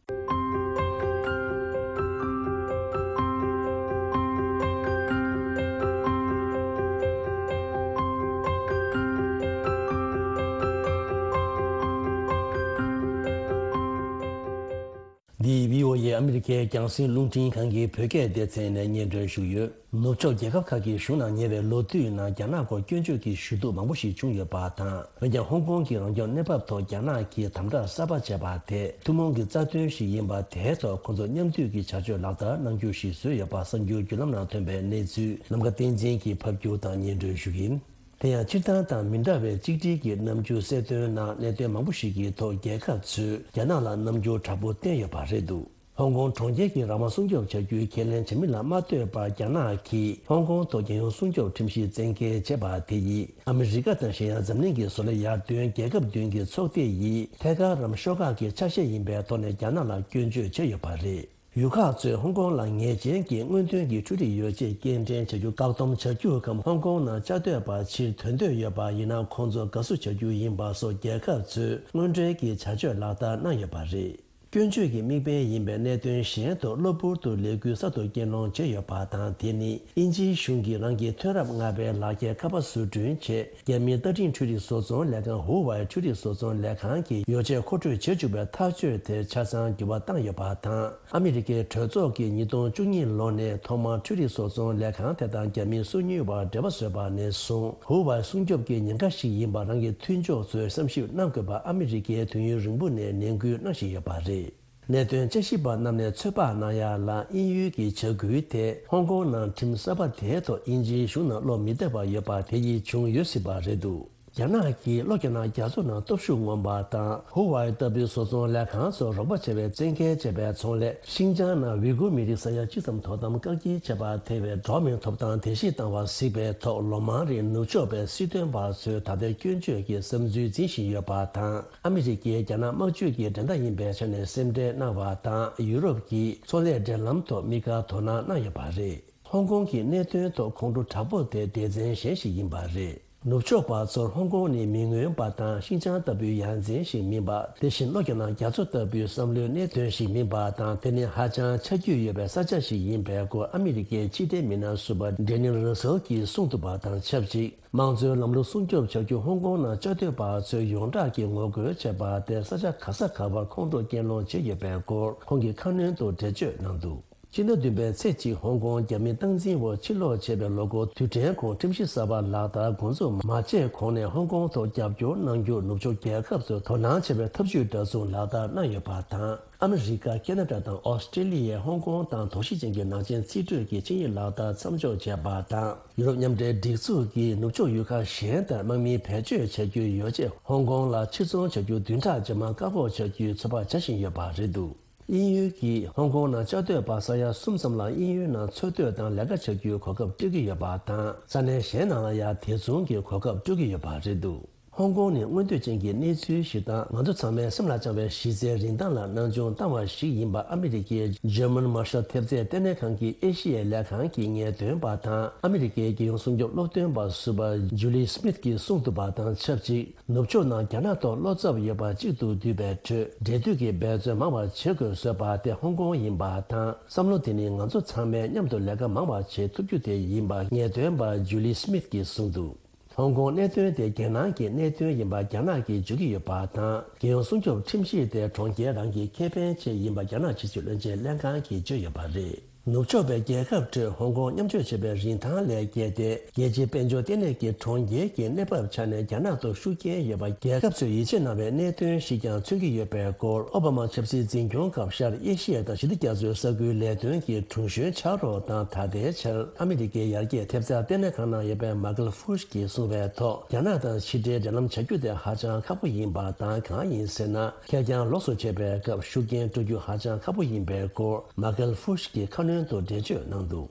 འདི་བྷི་ཨོ་ཨེ་ཨ་མི་རི་ཀའི་རྒྱང་སྲིང་རླུང་འཕྲིན་ཁང་གི་བོད་སྐད་སྡེ་ཚན་ནས་སྙན་སྒྲོན་ཞུས་ཡོད། ནུབ་ཕྱོགས་རྒྱལ་ཁབ་ཁག་གི་གཞུང་ནང་ཉེ་བའི་ལོ་དུས་ནང་རྒྱ་ནག་སྐོར་སྐྱོན་བརྗོད་ཀྱི་ཞུ་གཏུག་མང་པོ་ཞིག་བྱུང་ཡོད་པ་དང་། འོན་ཀྱང་། ཧོང་ཀོང་གི་རང་སྐྱོང་གནས་བབ་ཐོག་རྒྱ་ནག་གིས་དམ་དྲག་གསར་པ་བྱས་པ་དེ་ཐུན་མོང་གི་རྩ་དོན་ཞིག་ཡིན་པ། དེའི་ཐོག་ཁོང་ཚོ་མཉམ་མཐུད་ཀྱི་བྱ་སྤྱོད་ལག་བསྟར་གནང་རྒྱུ་ཞིག་བཟོས་ཡོད་པ། གསར་འགྱུར་བརྒྱུད་ལམ་ནང་ཐོན་པའི་གནས་ཚུལ་ནམ་མཁའ་བསྟན་འཛིན་གྱིས་ཕབ་སྒྱུར་དང་སྙན་སྒྲོན་ཞུ་གི་ཡིན། དེ་ཡང་། སྤྱིར་བཏང་དང་མི་འདྲ་བའི་གཅིག་སྒྲིལ་གྱི་རྣམ་འགྱུར་གསལ་སྟོན་ནང་། གནད་དོན་མང་པོ་ཞིག་གི་ཐོག་རྒྱལ་ཁབ་ཚོས་རྒྱ་ནག་ལ་རྣམ་འགྱུར་དྲག་པོ་བསྟན་ཡོད་པ་རེད་འདུག། ཧོང་ཀོང་གྲོང་ཁྱེར་གྱི་རང་དབང་སྲུང་སྐྱོབ་བྱ་རྒྱུའི་ཁས་ལེན་བྱེད་མིན་ལ་མ་ལྟོས་པར། རྒྱ་ནག་གིས་ཧོང་ཀོང་ཐོག་རྒྱལ་ཡོངས་སྲུང་སྐྱོབ་ཁྲིམས་གཞི་བཙན་འགེལ་བྱས་པ་དེ་ཡིས། ཨ་མི་རི་ཀ་དང་གཞན་ཡང་འཛམ་གླིང་གི་བཟོ་ལས་ཡར་ཐོན་རྒྱལ་ཁབ་བདུན་གྱི་ཚོགས་སྡེ་ཡིས་ཐད་ཀར་རམ་ཤོག་ཁག་གི་ཆ་ཤས་ཡིན་པའི་ཐོག་ནས་རྒྱ་ནག་ལ་སྐྱོན་བརྗོད་བྱས་ཡོད་པ་རེད། ཡུལ་ཁག་ཚོས་ཧོང་ཀོང་ལ་ངེས་ཅན་གྱི་སྔོན་ཐོན་གྱི་འཕྲུལ་རིག་ཡོ་ཆས་སྐྱེལ་འདྲེན་བྱ་རྒྱུ་བཀག་སྡོམ་བྱ་རྒྱུའི་སྐབས། ཧོང་ཀོང་ནང་བཅའ་སྡོད་པ་ཕྱིར་ཐོན་འདོད་ཡོད་པ་ཡིན་ན། ཁོང་ཚོ་དགའ་བསུ་བྱ་རྒྱུ་ཡིན་པ་སོགས་རྒྱལ་ཁབ་ཚོས་དངོས་འབྲེལ་གྱི་བྱ་སྤྱོད་ལག་བསྟར་གནང་ཡོད་པ་རེད། སྐྱོན་བརྗོད་ཀྱི་དམིགས་འབེན་ཡིན་པའི་གནད་དོན་གཞན་ཐོག་གློ་བུར་དུ་ལས་འགུལ་གསར་དུ་སྐྱེལ་སློང་བྱས་ཡོད་པ་དང་། དེ་ནི་དབྱིན་ཇིའི་གཞུང་གིས་རང་གི་མཐུན་རབས་ལྔ་པའི་ལག་འཁྱེར་ཁ་པར་བཟོ་སྐྲུན་ཆེད། རྒྱ་མིའི་རྟ་ཐྲེང་འཕྲུལ་རིག་བཟོ་ཚོང་ལས་ཁང་ཧུ་ཝའི་འཕྲུལ་རིག་བཟོ་ཚོང་ལས་ཁང་གི་ཡོ་ཆས་མཁོ་སྤྲོད་བྱེད་བཅུག་པའི་ཐག་གཅོད་དེར་ཆ་ཚང་འགྱུར་བ་བཏང་ཡོད་པ་དང་། ཨ་མི་རི་ཀའི་གྲོས་ཚོགས་ཀྱིས་ཉིས་སྟོང་བཅུ་གཉིས་ལོ་ནས་ཐོག་མར་འཕྲུལ་རིག་བཟོ་ཚོང་ལས་ཁང་དེ་དང་རྒྱ་མིའི་སོ་ཉུལ་བར་འབྲེལ་བ་བཟོས་པ་ནས་བཟུང་། ཧུ་ཝའི་སྲུང་སྐྱོབ་ཀྱི་ཉེན་ཁ་ཞིག་ཡིན་པར་རང་གི་མཐུན་ཕྱོགས་ཚོས་བསམ་ཞིབ་གནང་དགོས་པ་ཨ་མི་རི་ཀས་དུས་ཡུན་རིང་པོ་ནས་ནན་སྐུལ་གནང་བཞིན་ཡོད་པ་རེད། གནད་དོན་དཔྱད་ཞིབ་པ་རྣམས་ནས་ཚོད་དཔག་གནང་ཡག་ལ། དབྱིན་ཡུལ་གྱི་བྱ་འགུལ་དེས་ཧོང་ཀོང་ནང་ཁྲིམས་གསར་པ་དེའི་ཐོག་དབྱིན་ཇིའི་གཞུང་ནང་བློ་མི་གཏད་པ་ཡོད་པ་དེ་ཡིས་བྱུང་ཡོད་སྲིད་པ་རེད་འདུག། རྒྱ་ནག་གིས་ལྷོ་རྒྱ་ནག་རྒྱ་མཚོ་ནང་སྟོབས་ཤུགས་མངོན་པ་དང་། ཧུ་ཝའི་ལྟ་བུའི་བཟོ་ཚོང་ལས་ཁང་ཚོར་རོགས་པ་བྱེད་པའི་བཙན་འགེལ་བྱས་པའི་ཚོང་ལས། ཤིན་ཅང་ནང་ཝི་གུར་མི་རིགས་ས་ཡ་གཅིག་ཙམ་དོ་དམ་བཀག་སྐྱིལ་བྱས་པར་ཐེ་བའི་འགྲོ་བ་མིའི་ཐོབ་ཐང་དེ་བཞིན་བཏང་བ་གཟིགས་པའི་ཐོག་ལོ་མང་རིང་ནུབ་ཕྱོགས་པའི་སྲིད་དོན་པ་ཚོས་ད་ལྟའི་སྐྱོན་བརྗོད་ཀྱི་བསམ་ཚུལ་འཛིན་བཞིན་ཡོད་པ་དང་། ཨ་མི་རི་ཀས་རྒྱ་ནག་དམག་ཇུས་ཀྱི་འགྲན་ཟླ་ཡིན་པའི་ཆ་ནས་སེམས་ཁྲལ་གནང་བ་དང་། ཡུ་རོབ་ཀྱིས་ཚོང་ལས་འབྲེལ་ལམ་ཐོག་དམིགས་བཀར་དོ་སྣང་གནང་ཡོད་པ་རེད། ཧོང་ཀོང་གི་གནད་དོན་ཐོག་ཁོང་ཁྲོ་དྲག་པོ་དེ་སྡེ་ཚན་གཞན་ཞིག་ཡིན་པ་རེད། ནུབ་ཕྱོགས་པ་ཚོར་ཧོང་ཀོང་ནི་མི་མངོན་པ་དང་ཤིན་ཅང་ལྟ་བུའི་ཡ་མཚན་ཞིག་མིན་པ། དེ་བཞིན་ལྷོ་རྒྱ་ནག་རྒྱ་མཚོ་ལྟ་བུའི་བསམ་བློའི་གནད་དོན་ཞིག་མིན་པ་དང་། དེ་ནི་ཧ་ཅང་ཆ་རྒྱུས་ཡོད་པའི་ས་ཆ་ཞིག་ཡིན་པའི་སྐོར་ཨ་མི་རི་ཀའི་ཕྱི་འབྲེལ་མི་སྣ་ཟུར་པ་ཌེ་ནིལ་ར་སེལ་གྱིས་གསུངས་འདུག་པ་དང་ཆབས་ཅིག། དམངས་གཙོའི་ལམ་ལུགས་སྲུང་སྐྱོབ་བྱ་རྒྱུ་ཧོང་ཀོང་ནང་བཅའ་སྡོད་པ་ཚོའི་ཡོངས་གྲགས་ཀྱི་ངོ་རྒོལ་བྱས་པ་དེར་ས་ཆ་ག་ས་ག་བར་ཁོང་ཁྲོ་སྐྱེད་སློང་བྱས་ཡོད་པའི་སྐོར་ཁོང་གིས་ཁ་སྣོན་དུ་འགྲེལ་བརྗོད་གནང་འདུག། སྤྱི་ཟླ་བདུན་པའི་ཚེས་གཅིག་ཧོང་ཀོང་རྒྱ་མིའི་སྟངས་འཛིན་འོག་ཕྱིར་ལོག་བྱས་པའི་ལོ་འགོར་དུས་དྲན་གོང་ཁྲིམས་གཞི་གསར་པ་ལག་བསྟར་འགོ་འཛུགས་མ་བྱས་གོང་ནས་ཧོང་ཀོང་ཐོག་རྒྱབ་སྐྱོར་གནང་རྒྱུར་ནུབ་ཕྱོགས་རྒྱལ་ཁབ་ཚོས་དོ་སྣང་བྱེད་པའི་ཐབས་ཇུས་འདྲ་མཚུངས་ལག་བསྟར་གནང་ཡོད་པ་དང་། ཨ་མི་རི་ཀ། ཁེ་ན་ཌ་དང་ཨོ་སི་ཀྲི་ལི་ཡས་ཧོང་ཀོང་དང་དོགས་གཞི་ཅན་གྱི་ནག་ཅན་རྩིས་སྤྲོད་ཀྱི་ཆིངས་ཡིག་ལག་བསྟར་མཚམས་འཇོག་བྱས་པ་དང་། ཡུ་རོབ་མཉམ་འབྲེལ་སྒྲིག་འཛུགས་ཀྱིས་ནུབ་ཕྱོགས་ཡུལ་ཁག་གཞན་ལྟར་དམག་མི་བེད་སྤྱོད་བྱ་རྒྱུའི་ཡོ་ཆས་ཧོང་ཀོང་ལ་ཕྱིར་ཚོང་བྱ་རྒྱུ་བདུན་ཕྲག་རྗེས་མ་བཀག་འགོག་བྱ་རྒྱུའི་ཚོད་དཔག་བྱ་བཞིན་ཡོད་པ་རེད་འདུག། དབྱིན་ཡུལ་གྱིས་ཧོང་ཀོང་ནང་བཅའ་སྡོད་པ་ས་ཡ་གསུམ་ཙམ་ལ་དབྱིན་ཡུལ་ནང་འཚོ་སྡོད་དང་ལས་ཀ་བྱ་རྒྱུའི་གོ་སྐབས་སྤྲོད་ཀྱི་ཡོད་པ་དང་། ས་གནས་གཞན་ནང་ལ་ཡང་དེ་མཚུངས་ཀྱི་གོ་སྐབས་སྤྲོད་ཀྱི་ཡོད་པ་རེད་འདུག། ཧོང་ཀོང་ནི་མངོན་འདོད་ཅན་གྱི་གནས་ཚུལ་ཞིག་དང་། ང་ཚོ་ཚང་མའི་སེམས་ལ་བཅངས་པའི་གཞི་རྩའི་རིན་ཐང་ལ་སྣང་ཆུང་བཏང་བ་ཞིག་ཡིན་པ། ཨ་མི་རི་ཀའི་ཇར་མན་མར་ཤལ་ཐེབས་རྩའི་ལྟེ་གནས་ཁང་གི་ཨེ་ཤི་ཡའི་ལས་ཁང་གི་ངེས་སྟོན་པ་དང་། ཨ་མི་རི་ཀའི་རྒྱལ་ཡོངས་སྲུང་སྐྱོབ་སློབ་སྟོན་པ་ཟུར་པ་ཇུ་ལི་སྨིཐ་ཀྱིས་གསུངས་འདུག་པ་དང་ཆབས་ཅིག་ནུབ་ཕྱོགས་ནང་རྒྱ་ནག་ཐོག་བློ་འཚབ་ཡོད་པ་གཅིག་ཏུ་བསྡུས་པའི་ཁྲོད། འབྲེལ་མཐུད་ཀྱི་འབད་བརྩོན་མང་བ་བྱེད་དགོས་བཟོས་པ་དེ་ཧོང་ཀོང་ཡིན་པ་དང་། བསམ་བློ་དེ་ནི་ང་ཚོ་ཚང་མས་མཉམ་དུ་ལས་ཀ་མང་བ་བྱེད་ཐུབ་རྒྱུ་དེ་ཡིན་པ་ངེས་སྟོན་པ་ཇུ་ལི་སྨིཐ་ཀྱིས་གསུངས་འདུག་ཧོང་ཀོང་གནད་དོན་དེ་རྒྱལ་ནང་གི་གནད་དོན་ཡིན་པ་རྒྱ་ནག་གིས་བརྗོད་ཀྱི་ཡོད་པ་དང་། རྒྱལ་ཡོངས་སྲུང་སྐྱོབ་ཁྲིམས་གཞི་དེ་གྲོང་ཁྱེར་རང་གི་ཁེ་ཕན་ཆེད་ཡིན་པ་རྒྱ་ནག་ཕྱི་སྲིད་བློན་ཆེན་ལྷན་ཁང་གིས་བརྗོད་ཡོད་པ་རེད། ནུབ་ཕྱོགས་པའི་རྒྱལ་ཁབ་ཁྲོད་ཧོང་ཀོང་མཉམ་སྤྱོད་བྱེད་པའི་རིན་ཐང་ལས་བརྒལ་ཏེ། རྒྱལ་སྤྱིའི་དཔལ་འབྱོར་ལྟེ་གནས་ཀྱི་གྲོང་ཁྱེར་གྱི་གནས་བབ་ཆ་ནས་རྒྱ་ནག་ཏུ་ཤུགས་རྐྱེན་ཡོད་པ་རྒྱལ་ཁབ་ཚོས་ཡིད་ཆེས་གནང་བའི་གནད་དོན་ཞིག་ཀྱང་མཚོན་གྱི་ཡོད་པའི་སྐོར། ཨོ་བྷ་མ་ཆབ་སྲིད་འཛིན་སྐྱོང་སྐབས་ཤར་ཨེ་ཤི་ཡ་དང་ཞི་བདེ་རྒྱ་མཚོའི་ས་ཁུལ་ལས་དོན་གྱི་དྲུང་གཞོན་ཕྱག་རོགས་དང་། ད་ལྟའི་ཆར་ཨ་མི་རི་ཀའི་ཡར་རྒྱས་ཐེབས་རྩ་ལྟེ་གནས་ཁང་ནང་ཡོད་པའི་མ་ཀལ་ཧྥུ་ཤི་གིས་གསུངས་པའི་ཐོག་རྒྱ་ནག་དང་ཕྱི་འབྲེལ་འབྲེལ་ལམ་བྱ་རྒྱུ་དེ་ཧ་ཅང་ཁག་པོ་ཡིན་པ་དང་། གང་ཡིན་ཟེར་ན། ཁེར་རྐྱང་ལོགས་སུ་བྱས་པའི་སྐབས་ཤུགས་རྐྱེན་སྤྲོད་རྒྱུ་ཧ་ཅང་ཁག་པོ་ཡིན་པའི་སྐོར། མ་ཀལ་ཧྥུ་ཤི་གིས་ཁ་སྣོན་དུ་འགྲེལ་བརྗོད་གནང་འདུག་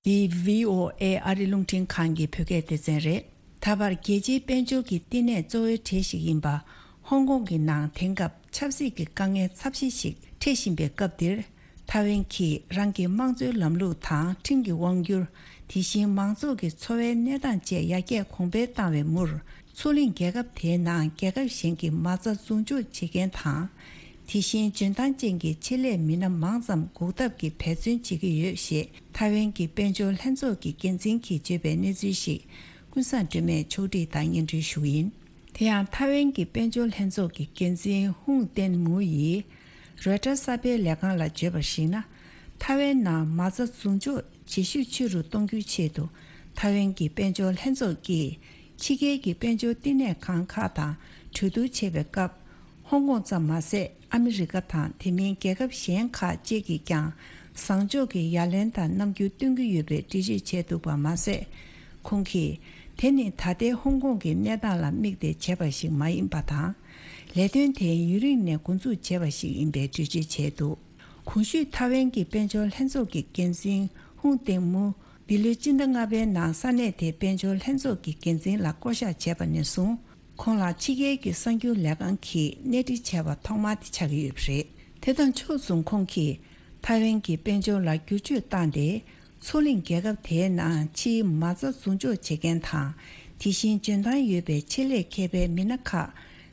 འདི་བྷི་ཨོ་ཨེ་ཨ་རི་རླུང་འཕྲིན་ཁང་གི་བོད་སྐད་སྡེ་ཚན་རེད། ད་བར་རྒྱལ་སྤྱིའི་དཔལ་འབྱོར་གྱི་བསྟི་གནས་གཙོ་བོའི་གྲས་ཤིག་ཡིན་པ། ཧོང་ཀོང་གི་ནང་དེང་སྐབས་ཆབ་སྲིད་ཀྱི་དཀའ་ངལ་ཚབས་ཆེ་ཞིག་འཕྲད་བཞིན་པའི་སྐབས་འདིར། ཐའེ་ཝན་གྱིས་རང་གི་དམངས་གཙོའི་ལམ་ལུགས་དང་ཁྲིམས་ཀྱི་དབང་སྒྱུར། དེ་བཞིན་མང་ཚོགས་ཀྱི་འཚོ་བའི་གནས་སྟངས་བཅས་ཡར་རྒྱས་གོང་འཕེལ་བཏང་བའི་མུར། མཚོ་གླིང་རྒྱལ་ཁབ་དེའི་ནང་རྒྱལ་ཁབ་གཞན་གྱི་མ་རྩ་འཛུགས་འཇོག་བྱེད་མཁན་དང་། དེ་བཞིན་འཇོན་ཐང་ཅན་གྱི་ཆེད་ལས་མི་སྣ་མང་ཙམ་འགུག་ཐབས་ཀྱི་འབད་བརྩོན་བྱེད་ཀྱི་ཡོད་ཞེས་ཐའེ་ཝན་གྱི་དཔལ་འབྱོར་ལྷན་ཚོགས་ཀྱི་འགན་འཛིན་གྱིས་བརྗོད་པའི་གནས་ཚུལ་ཞིག་ཀུན་བཟང་སྒྲོལ་མས་ཕྱོགས་སྒྲིག་དང་སྙན་སྒྲོན་ཞུ་གི་ཡིན། དེ་ཡང་ཐའེ་ཝན་གྱི་དཔལ་འབྱོར་ལྷན་ཚོགས་ཀྱི་འགན་འཛིན་ཧུང་ཏེན་མུའུ་ཡིས་རོའི་ཊར་གསར་སྤེལ་ལས་ཁང་ལ་བརྗོད་པར་གཞིགས་ན། ཐའེ་ཝན་ནང་མ་རྩ་འཛུགས་འཇོག་བྱེད་ཤུགས་ཆེ་རུ་གཏོང་རྒྱུའི་ཆེད་དུ། ཐའེ་ཝན་གྱི་དཔལ་འབྱོར་ལྷན་ཚོགས་ཀྱིས་ཕྱི་རྒྱལ་གྱི་དཔལ་འབྱོར་བསྟི་གནས་ཁང་ཁག་དང་གྲོས་བསྡུར་བྱེད་པའི་སྐབས། ཧོང་ཀོང་ཙམ་མ་ཟད། ཨ་མི་རི་ཀ་དང་དེ་མིན་རྒྱལ་ཁབ་གཞན་ཁག་བཅས་ཀྱིས་ཀྱང་བཟང་ཕྱོགས་ཀྱི་ཡ་ལན་དང་རྣམ་འགྱུར་སྟོན་གྱི་ཡོད་པའི་འགྲེལ་བརྗོད་བྱས་འདུག་པ་མ་ཟད། ཁོང་གིས། དེ་ནི་ད་ལྟའི་ཧོང་ཀོང་གི་གནས་སྟངས་ལ་དམིགས་ཏེ་བྱས་པ་ཞིག་མ་ཡིན་པ་དང་། ལས་དོན་དེ་ཡུན་རིང་ནས་འགོ་འཛུགས་བྱས་པ་ཞིག་ཡིན་པའི་འགྲེལ་བརྗོད་བྱས་འདུག་གོང་ཞུས་ཐའེ་ཝན་གྱི་དཔལ་འབྱོར་ལྷན་ཚོགས་ཀྱི་འགན་འཛིན་ཧུང་ཏེང་མུ། འདི་ལོའི་སྤྱི་ཟླ་ལྔ་པའི་ནང་ས་གནས་དེའི་དཔལ་འབྱོར་ལྷན་ཚོགས་ཀྱི་འགན་འཛིན་ལ་བསྐོ་གཞག་བྱས་པ་ནས་བཟུང་། ཁོང་ལ་ཕྱི་རྒྱལ་གྱི་གསར་འགྱུར་ལས་ཁང་གིས་གནས་འདྲི་བྱས་པ་ཐོག་མ་དེ་ཆགས་ཀྱི་ཡོད་པ་རེད། དེ་དང་ཕྱོགས་མཚུངས་ཁོང་གིས་ཐའེ་ཝན་གྱི་དཔལ་འབྱོར་ལ་བསྒྱུར་བཅོས་བཏང་སྟེ། མཚོ་གླིང་རྒྱལ་ཁབ་དེའི་ནང་ཕྱིའི་མ་རྩ་འཛུགས་འཇོག་བྱེད་མཁན་དང་། དེ་བཞིན་འཇོན་ཐང་ཡོད་པའི་ཆེད་ལས་མཁས་པའི་མི་སྣ་ཁག་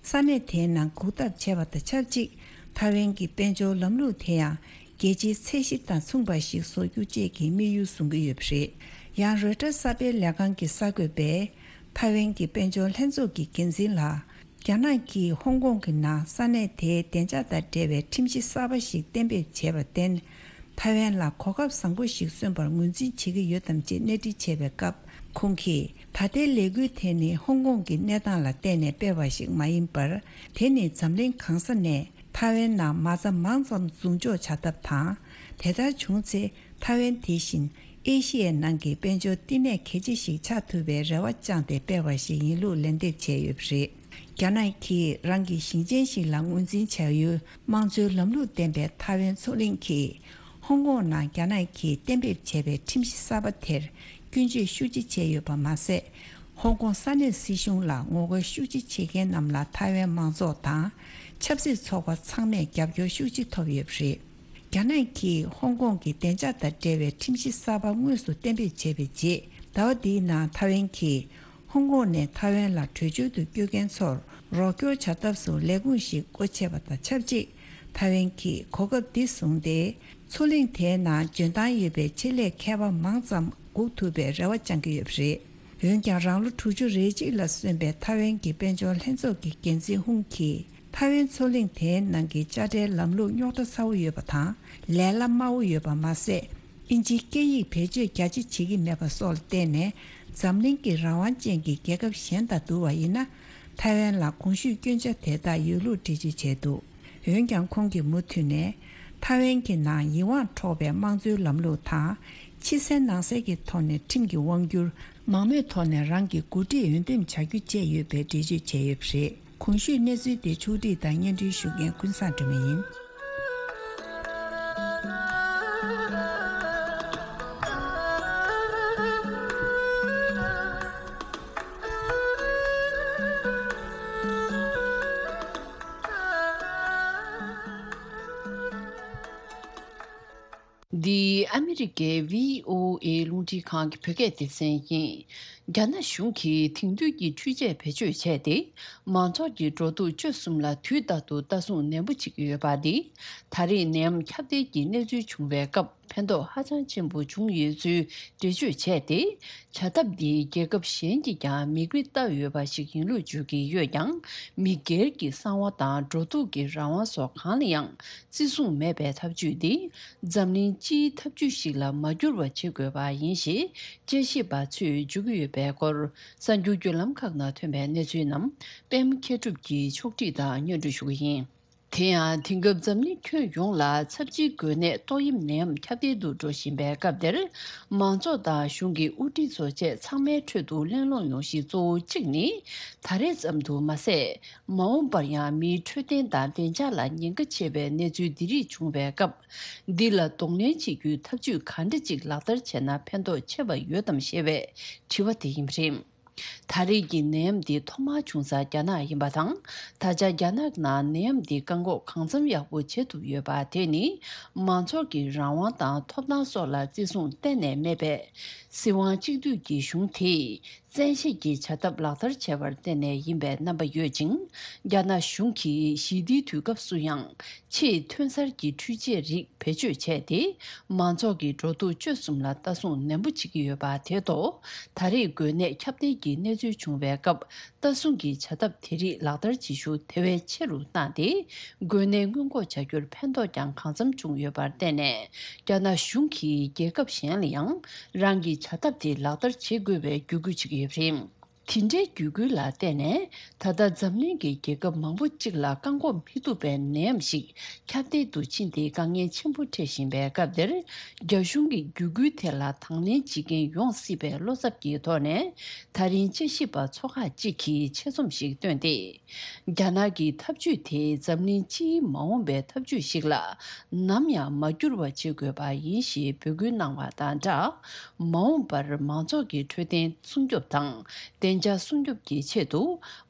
ས་གནས་དེའི་ནང་འགུག་ཐབས་བྱས་པ་དང་ཆབས་ཅིག་ཐའེ་ཝན་གྱི་དཔལ་འབྱོར་ལམ་ལུགས་དེ་ཡང་རྒྱལ་སྤྱིའི་ཚད་གཞི་དང་མཚུངས་པ་ཞིག་བཟོ་རྒྱུ་བཅས་ཀྱི་དམིགས་ཡུལ་བཟུང་གི་ཡོད་པ་རེད། ཡང་རོའི་ཊར་གསར་སྤེལ་ལས་ཁང་གི་གསར་འགོད་པས་ཐའེ་ཝན་གྱི་དཔལ་འབྱོར་ལྷན་ཚོགས་ཀྱི་འགན་འཛིན་ལ། རྒྱ་ནག་གིས་ཧོང་ཀོང་གི་ནང་ས་གནས་དེའི་བདེ་འཇགས་དང་འབྲེལ་བའི་ཁྲིམས་གཞི་གསར་པ་ཞིག་གཏན་འབེབས་བྱས་པར་བརྟེན། ཐའེ་ཝན་ལ་གོ་སྐབས་བཟང་པོ་ཞིག་སོན་པར་ངོས་འཛིན་བྱེད་ཀྱི་ཡོད་དམ་ཅེས་གནས་འདྲི་བྱས་པའི་སྐབས། ཁོང་གིས། ད་ལྟའི་ལས་འགུལ་དེ་ནི་ཧོང་ཀོང་གི་གནས་སྟངས་ལ་བལྟས་ནས་སྤེལ་བ་ཞིག་མ་ཡིན་པར། དེ་ནི་འཛམ་གླིང་གང་ས་ནས་ཐའེ་ཝན་ནང་མ་རྩ་མང་ཙམ་འཛུགས་འཇོག་བྱ་ཐབས་དང་། དེ་ལྟར་བྱུང་ཚེ། ཐའེ་ཝན་དེ་བཞིན་ཨེ་ཤི་ཡའི་ནང་གི་དཔལ་འབྱོར་བསྟི་གནས་གལ་ཆེ་ཞིག་ཆགས་ཐུབ་པའི་རེ་བ་བཅངས་ཏེ་སྤེལ་བ་ཞིག་ཡིན་ལུགས་ལན་འདེབས་བྱས་ཡོད་པ་རེད། རྒྱ་ནག་གིས་རང་གི་ཞིང་ཆེན་ཞིག་ལ་ངོས་འཛིན་བྱ་ཡུལ་དམངས་གཙོའི་ལམ་ལུགས་ལྡན་པའི་ཐའེ་ཝན་མཚོ་གླིང་གིས། ཧོང་ཀོང་ནང་རྒྱ་ནག་གིས་གཏན་འབེབས་བྱས་པའི་ཁྲིམས་གཞི་གསར་པ་དེར་སྐྱོན་བརྗོད་ཤུགས་ཆེ་བྱས་ཡོད་པ་མ་ཟད། ཧོང་ཀོང་ས་གནས་སྲིད་གཞུང་ལ་ངོ་རྒོལ་ཤུགས་ཆེ་བྱེད་མཁན་རྣམས་ལ་ཐའེ་ཝན་མང་ཚོགས་དང་ཆབ་སྲིད་ཚོགས་པ་ཚང་མས་རྒྱབ་སྐྱོར་ཤུགས་ཆེ་ཐོབ་ཡོད་པ་རེད། རྒྱ་ནག་གིས་ཧོང་ཀོང་གི་བདེ་འཇགས་དང་འབྲེལ་བའི་ཁྲིམས་གཞི་གསར་པ་དངོས་སུ་གཏན་འབེབས་བྱས་པའི་རྗེས། ཟླ་བ་འདིའི་ནང་ཐའེ་ཝན་གྱིས་ཧོང་ཀོང་ནས་ཐའེ་ཝན་ལ་བྲོས་བྱོལ་དུ་བསྐྱོད་མཁན་ཚོར་རོགས་སྐྱོར་བྱ་ཐབས་སུ་ལས་ཁུངས་ཤིག་སྒོ་ཕྱེ་བ་དང་ཆབས་ཅིག་ཐའེ་ཝན་གྱིས་གོ་སྐབས་འདི་བཟུང་སྟེ། མཚོ་གླིང་དེའི་ནང་འཇོན་ཐང་ཡོད་པའི་ཆེད་ལས་མཁས་པ་མང་ཙམ་འགུག་ཐུབ་པའི་རེ་བ་བཅང་གི་ཡོད་པ་རེད། འོན་ཀྱང་། རང་ལོ་དྲུག་ཅུ་རེ་གཅིག་ལ་སོན་པའི་ཐའེ་ཝན་གྱི་དཔལ་འབྱོར་ལྷན་ཚོགས་ཀྱི་འགན་འཛིན་ཧུང་གིས། ཐའེ་ཝན་མཚོ་གླིང་དེའི་ནང་གི་དཔྱ་ཁྲལ་ལམ་ལུགས་རྙོག་དྲ་ཚ་བོ་ཡོད་པ་དང་། ལས་སླ་དམའ་བོ་ཡོད་པ་མ་ཟད། ཨིན་ཇིའི་སྐད་ཡིག་བེད་སྤྱོད་རྒྱ་ཆེ་བྱེད་ཀྱི་མེད་པ་སོགས་ལ་བརྟེན་ནས། འཛམ་གླིང་གི་རང་དབང་ཅན་གྱི་རྒྱལ་ཁབ་གཞན་དང་བསྡུར་བ་ཡིན་ན། ཐའེ་ཝན་ལ་གོང་ཞུས་སྐྱོན་ཆ་དེ་དག་ཡོད་ལུགས་འགྲེལ་བརྗོད་བྱས་འདུག་འོན་ཀྱང་། ཁོང་གིས་མུ་མཐུད་ནས། ཐའེ་ཝན་གྱི་ནང་ཡིད་དབང་འཕྲོག་པའི་དམངས་གཙོའི་ལམ་ལུགས་དང་། ཕྱི་གསལ་ནང་གསལ་གྱི་ཐོག་ནས་ཁྲིམས་ཀྱི་དབང་སྒྱུར། མང་མོས་ཐོག་ནས་རང་གི་འགོ་ཁྲིད་འོས་འདེམས་བྱ་རྒྱུ་བཅས་ཡོད་པའི་འགྲེལ་བརྗོད་བྱས་ཡོད་པ་རེད། གོང་ཞུས་གནས་ཚུལ་དེ་ཕྱོགས་སྒྲིག་དང་སྙན་སྒྲོན་ཞུ་མཁན་ཀུན་བཟང་སྒྲོལ་མ་ཡིན། འདི་ཨ་མི་རི་ཀའི་བྷི་ཨོ་ཨེ་རླུང་འཕྲིན་ཁང་གི་བོད་སྐད་སྡེ་ཚན་ཡིན། རྒྱ་ནག་གཞུང་གིས་དེང་དུས་ཀྱི་འཕྲུལ་ཆས་བེད་སྤྱོད་བྱས་ཏེ། མང་ཚོགས་ཀྱི་འགྲོ་འདུག་སྤྱོད་གསུམ་ལ་དུས་རྟག་ཏུ་ལྟ་སྲུང་ནན་པོ་བྱེད་ཀྱི་ཡོད་པ་འདི། ད་རེས་ནད་ཡམས་ཁྱབ་གདལ་གྱི་གནས་ཚུལ་བྱུང་བའི་སྐབས། ཕན་ཐོགས་ཧ་ཅང་ཆེན་པོ་བྱུང་ཡོད་ཚུལ་འགྲེལ་བརྗོད་བྱས་ཏེ། བྱ་ཐབས་འདི་རྒྱལ་ཁབ་གཞན་གྱིས་ཀྱང་མིག་དཔེ་ལྟ་ཡོད་པ་ཞིག་ཡིན་ལུགས་བརྗོད་ཀྱི་ཡོད་ཀྱང་། མི་སྒེར་གྱི་གསང་བ་དང་འགྲོ་འདུག་གི་རང་དབང་སོགས་གང་ལ་ཡང་བརྩི་སྲུང་མེད་པའི་ཐབས་ཇུས་འདི། འཛམ་གླིང་སྤྱིའི་ཐབས་ཇུས་ཤིག་ལ་མ་འགྱུར་བ་བྱེད་དགོས་པ་ཡིན་ཞེས་དཔྱད་ཞིབ་པ་ཚོས་བརྗོད་ཀྱི་ཡོད་པའི་སྐོར། གསར་འགྱུར་བརྒྱུད་ལམ་ཁག་ནང་ཐོན་པའི་གནས་ཚུལ་རྣམས་པད་མ་མཁས་གྲུབ་ཀྱིས་ཕྱོགས་སྒྲིག་དང་སྙན་སྒྲོན་ཞུ་གི་ཡིན། དེ་ཡང་དེང་སྐབས་འཛམ་གླིང་ཁྱོན་ཡོངས་ལ་ཚབས་ཆེའི་འགོས་ནད་ཏོག་དབྱིབས་ནད་ཡམས་ཁྱབ་གདལ་དུ་འགྲོ་བཞིན་པའི་སྐབས་འདིར། མང་ཚོགས་དང་གཞུང་གི་དབུ་ཁྲིད་ཚོ་བཅས་ཚང་མའི་ཁྲོད་དུ་གླེང་སློང་ཡོང་གཞི་གཙོ་བོ་གཅིག་ནི། ད་རེས་ཙམ་དུ་མ་ཟད། མ་འོངས་པར་ཡང་མིའི་འཕྲོད་བསྟེན་དང་བདེ་འཇགས་ལ་ཉེན་ཁ་ཆེ་བའི་གནས་ཚུལ་འདི་རིགས་བྱུང་བའི་སྐབས། འདི་ལ་གདོང་ལེན་བྱེད་རྒྱུའི་ཐབས་ཇུས་ག་འདྲ་ཅིག་ལག་བསྟར་བྱས་ན་ཕན་ཐོགས་ཆེ་བ་ཡོད་དམ་ཞེས་པའི་དྲི་བ་དེ་ཡིན་པ་རེད། ད་རེས་ཀྱི་ནད་ཡམས་འདི་ཐོག་མར་བྱུང་ས་རྒྱ་ནག་ཡིན་པ་དང་། ད་ཆ་རྒྱ་ནག་ནང་ནད་ཡམས་འདི་བཀག་འགོག་གང་འཚམ་ཡག་པོ་བྱེད་ཐུབ་ཡོད་པ་དེ་ནི། མང་ཚོགས་ཀྱི་རང་དབང་དང་ཐོབ་ཐང་སོགས་ལ་བརྩི་སྲུང་གཏན་ནས་མེད་པས། སྲིད་དབང་གཅིག་སྡུད་ཀྱི་གཞུང་དེས་བཙན་ཤེད་ཀྱིས་བྱ་ཐབས་ལག་བསྟར་བྱས་པར་བརྟེན་ནས་ཡིན་པའི་རྣམ་པ་ཡོད་ཅིང་། རྒྱ་ནག་གཞུང་གིས་ཞི་བདེའི་དུས་སྐབས་སུ་ཡང་། ཆེས་ཐོན་གསར་གྱི་འཕྲུལ་ཆས་རིགས་བེད་སྤྱོད་བྱས་ཏེ། མང་ཚོགས་ཀྱི་འགྲོ་འདུག་སྤྱོད་གསུམ་ལ་ལྟ་སྲུང་ནན་པོ་བྱེད་ཀྱི་ཡོད་པ་དེ་ཐོག་ད་རེས་འགོས་ནད་ཁྱབ་གདལ་གྱི་གནས་ཚུལ་བྱུང་བའི་སྐབས། ལྟ་སྲུང་གི་བྱ་ཐབས་དེ་རིགས་ལག་བསྟར་བྱེད་ཤུགས་དེ་བས་ཆེ་རུ་བཏང་སྟེ། འགོས་ནད་སྔོན་འགོག་བྱ་རྒྱུར་ཕན་ཐོགས་ཀྱང་གང་འཚམ་བྱུང་ཡོད་པར་བརྟེན་ནས། རྒྱ་ནག་གཞུང་གིས་རྒྱལ་ཁབ་གཞན་ལ་ཡང་རང་གི་བྱ་ཐབས་དེ་ལག་བསྟར་བྱེད་དགོས་པའི་བརྒྱུད་སྐུལ་བྱེད་ཀྱི་ཡོད་པ་རེད། དེ་འདྲའི་བརྒྱུད་སྐུལ་ལ་བརྟེན་ནས། ད་ལྟ་འཛམ་གླིང་གི་རྒྱལ་ཁབ་མང་པོ་གཅིག་ལ་བཀག་འགོག་མི་ཐུབ་པའི་ནད་ཡམས་ཤིག་ཁྱབ་གདལ་དུ་ཕྱིན་ཏེ། དཀའ་ངལ་ཆེན་པོ་འཕྲད་བཞིན་པའི་སྐབས་འདིར། རྒྱ་གཞུང་གི་བརྒྱུད་སྐུལ་དེ་ལ་དང་ལེན་བྱེད་མཁན་ཡོང་སྲིད་པའི་བློ་འཚབ་ཀྱི་ཐོག་ནས། ད་རིང་དཔྱད་ཞིབ་པ་ཚོ་ཁག་ཅིག་གིས་ཆེད་རྩོམ་ཞིག་བཏོན་ཏེ། རྒྱ་ནག་གི་ཐབས་ཇུས་དེ་འཛམ་གླིང་སྤྱིའི་མ་འོངས་པའི་ཐབས་ཇུས་ཤིག་ལ་ནམ་ཡང་མ་འགྱུར་བ་བྱེད་དགོས་པ་ཡིན་ཞེས་འབོད་སྐུལ་གནང་བ་དང་སྦྲགས། མ་འོངས་པར་མང་ཚོགས་ཀྱི་འཕྲོད་བསྟེན་སྲུང་སྐྱོབ་དང་། བདེ་འཇགས་སྲུང་སྐྱོབ་ཀྱི་ཆེད་དུ།